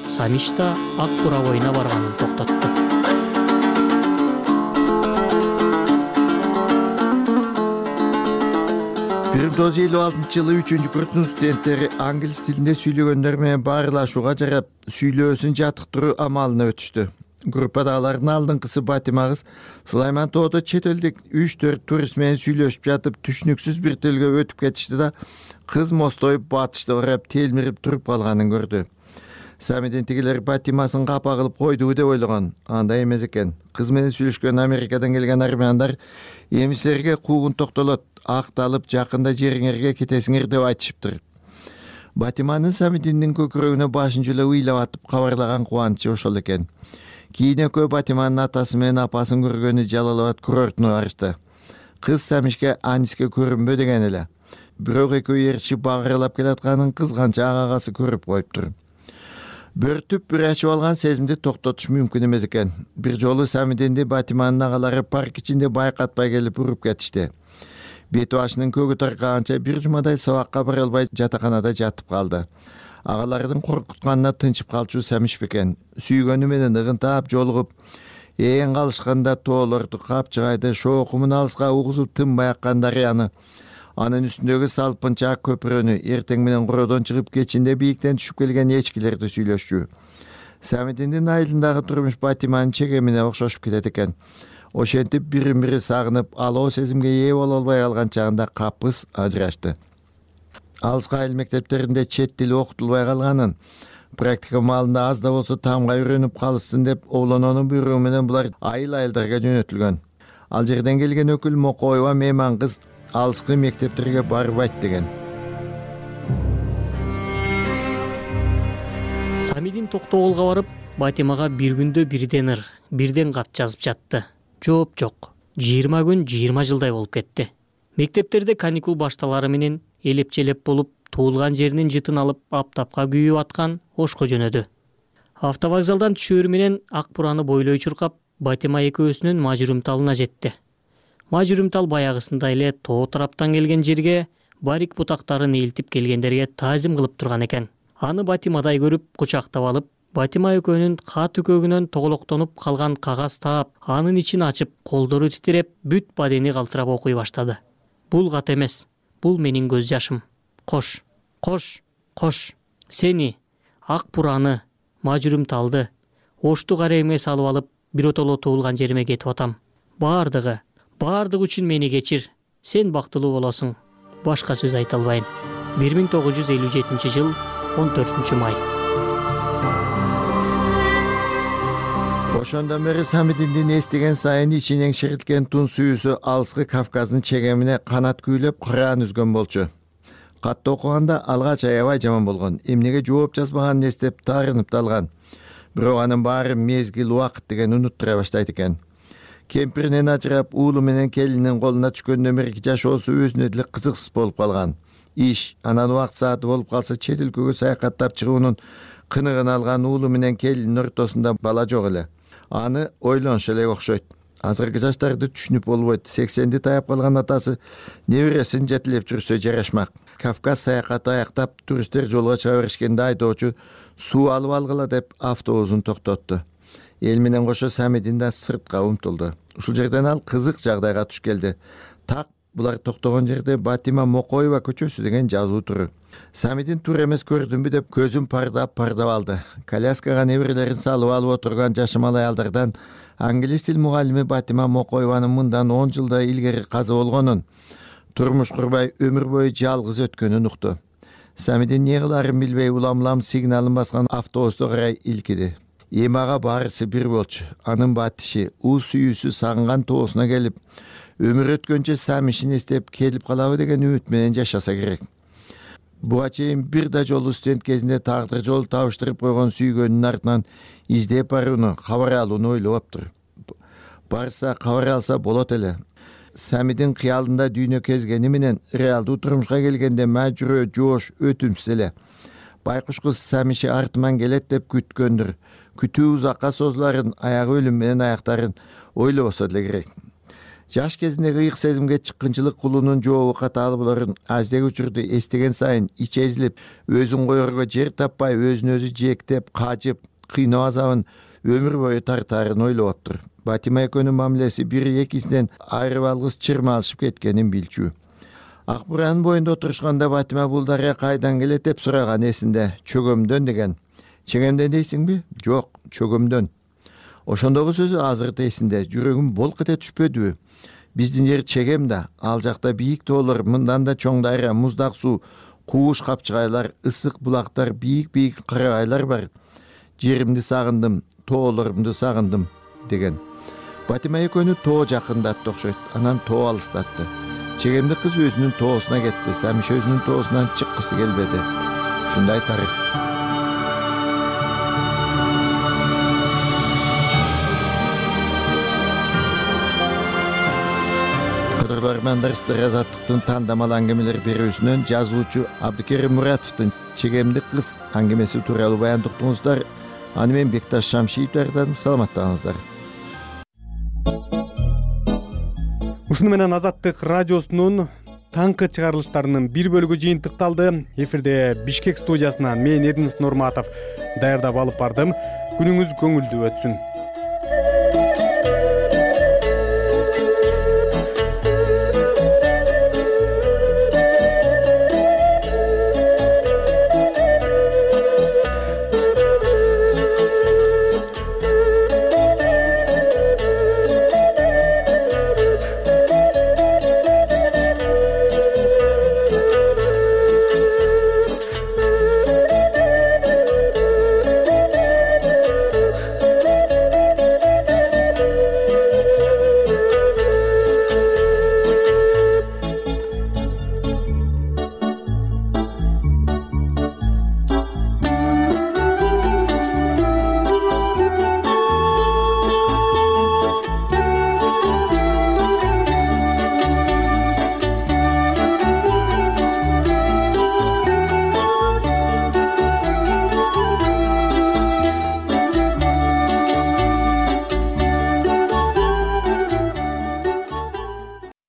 Самиш да ак бура боюна барганын токтотту. 1956-жылы 3-курстун студенттери англис тилинде сүйлөгөндөр менен баарылашууга жарап, сүйлөөсүн жаттыктыруу амалына өтүштү. Группадагылардын алдыңкысы Батима кыз Сулайман тоодо чет элдик 3-4 турист менен сүйлөшүп жатып, түшүнүксүз бир тилге өтүп кетишти да, кыз мостойуп батышты карап телмирип туруп калганын көрдү. Самидин тигилер Батимасын капа кылып койду деп ойлогон. Андай эмес экен. Кыз менен сүйлөшкөн Америкадан келген армяндар эмисилерге куугун токтолот, акталып жакында жериңерге кетесиңер деп айтышыптыр. Батиманын Самидиндин көкүрөгүнө башын жулап ыйлап атып кабарлаган кубанычы ошол экен. Кийин экөө Батиманын атасы менен апасын көргөнү Жалал Абад курортуна барышты. Кыз Самишке Аниске көрүнбө деген эле. Бирок экөө ээрчип багыралап келатканын кызганча агасы көрүп коюптур. Бөртүп бир ачып алган сезимди токтотуш мүмкүн эмес экен. Бир жолу Самидинди Батиманын агалары парк ичинде байкатпай келип уруп кетишти. Бет башынын көгү таркаганча бир жумадай сабакка бара албай жатаканада жатып калды. Агаларынын коркутканына тынчып калчу Самиш бекен. Сүйгөнү менен ыгынтап жолугуп, ээн калышканда тоолорду, капчыгайды, шоокумун алыска угузуп тынбай аккан дарыяны, анын үстүндөгү салпынчаак көпүрөнү, эртең менен куродон чыгып кечинде бийиктен түшүп келген эчкилерди сүйлөшчү. Самидиндин айылындагы турмуш Батиманын чегемине окшошуп кетет экен. Ошентип бирин бири сагынып, алоо сезимге ээ боло албай калган чагында капыс ажырашты. Алыскы айыл мектептеринде чет тили окутулбай калганын, практика маалында аз да болсо таамга үйрөнүп калышсын деп Оолононун буйругу менен булар айылдарга жөнөтүлгөн. Ал жерден келген өкүл Мокоева мейман кыз алыскы мектептерге барбайт деген. Самидин Токтогулга барып, Батимага бир күндө бирден ыр, бирден кат жазып жатты. Жооп жок. 20 күн 20 жылдай болуп кетти. Мектептерде каникул башталары менен элеп-челеп болуп, туулган жеринин жытын алып, аптапка күйүп аткан Ошко жөнөдү. Автовокзалдан түшөөрү менен ак бураны бойлой чуркап, Батима экөөсүнүн мажүрүмталына жетти. Мажүрүмтал баягысында эле тоо тараптан келген жерге барик бутактарын элтип келгендерге таазим кылып турган экен. Аны Батимадай көрүп, кучактап алып, Батима экөөнүн кат үкөгүнөн тоголоктонуп калган кагаз таап, анын ичин ачып, колдору титиреп, бүт бадени калтырап окуй баштады. Бул кат эмес, бул менин көз жашым. Кош, кош, кош. Сени, ак бураны, мажүрүмталды, Ошту карайыма салып алып, биротоло туулган жериме кетип атам. Бардыгы үчүн мени кечир. Сен бактылуу болосуң. Башка сөз айта албайм. 1957 жыл 14 май. Ошондон бери Самидиндин эстеген сайын ичинен ширилткен тун сүйүүсү алыскы Кавказдын чегемине канат күүлөп кыраан үзгөн болчу. Катты окуганда алгач аябай жаман болгон. Эмнеге жооп жазбаганын эстеп таарынып далган. Бирок анын баары мезгил, убакыт деген унуттура баштайт экен. Кемпиринен ажырап, уулу менен келинин колуна түшкөндөн берки жашоосу өзүнө деле кызыксыз болуп калган. Иш, анан убакыт сааты болуп калса чет өлкөгө саякаттап чыгуунун кыныгын алган уулу менен келиндин ортосунда бала жок эле. Аны ойлонуш эле окшойт. Азыркы жаштарды түшүнүп болбойт. 80-ди таяп калган атасы небересин жетелеп жүрсө жарашмак. Кавказ саякаты аяктап, туристтер жолго чыга беришкенде айдоочу суу алып алгыла деп автобусун токтотту. Эл менен кошо Самидин да сыртка умтулду. Ушул жерден ал кызык жагдайга туш келди. Так булар токтогон жерде Батима Мокоева көчөсү деген жазуу туру. Самидин тур эмес көрдүмбү деп көзүн пардап алды. Коляскага неберелерин салып алып отурган жашымал аялдардан англис тил мугалими Батима Мокоеванын мындан 10 жылдай илгери каза болгонун, турмуш курбай өмүр бою жалгыз өткөнүн укту. Самидин эмне кыларын билбей улам сигналын баскан автобусту карай илкиди. Эмага баарысы бир болчу. Анын батиши, сүйүүсү сагынган тоосуна келип, өмүр өткөнчө Самишин эстеп келип калабы деген үмүт менен жашаса керек. Буга чейин бир да жолу студент кезинде тагдыр жолу табыштырып койгон сүйгөнүнүн артынан издеп барууну, кабар алууну ойлоптур. Барса кабар алса болот эле. Самидин кыялында дүйнө кезгени менен реалдуу турмушка келгенде мажүрөө, жоош, өтүмсүз эле. Байкуш кыз Самиши артыман келет деп күткөндүр. Күтүү узакка созуларын, аягы өлүм менен аяктарын ойлобосо деле керек. Жаш кезиндеги ыйык сезимге чыккынчылык кулунун жообу катаалы болорун аздек учурду эстеген сайын ичи эзилип, өзүн коерго жер таппай, өзүн өзү жээктеп, кажып, кыйноо азабын өмүр бою тартаарын ойлоптур. Батима экөөнүн мамилеси бири экисинен айрып алгыс чырма алышып кеткенин билчү. Ак буранын боюнда отурушканда Батима бул дарыя кайдан келет деп сураган эсинде. Чөгөмдөн деген. Чегемден дейсиңби? Жок, чөгөмдөн. Ошондогу сөзү азыр да эсинде. Жүрөгүм болк эте түшпөдүбү? Биздин жер чегем да, ал жакта бийик тоолор, мындан да чоң дарыя, муздак суу, кууш капчыгайлар, ысык булактар, бийик карагайлар бар. жеримди сагындым, тоолорумду сагындым деген. Батима экөөнү тоо жакындатты окшойт. Анан тоо алыстатты. Чегемди кыз өзүнүн тоосуна кетти. Сәмиш өзүнүн тоосунан чыккысы келбеди. Ушундай тарих. Кадырлармандар Азаттыктын тандамал аңгемелер берүүсүнөн жазуучу Абдыкерим Муратовдун Чегемди кыз аңгемеси тууралуу баяндыктыңыздар. Аны мен Бекташ Шамшиев даярдадым. Саламаттаңыздар. Ушуну менен Азаттык радиосунун таңкы чыгарылыштарынын бир бөлүгү жыйынтыкталды. Эфирде Бишкек студиясынан мен Эрдинис Нурматов даярдап алып бардым. Күнүңүз көңүлдүү өтсүн.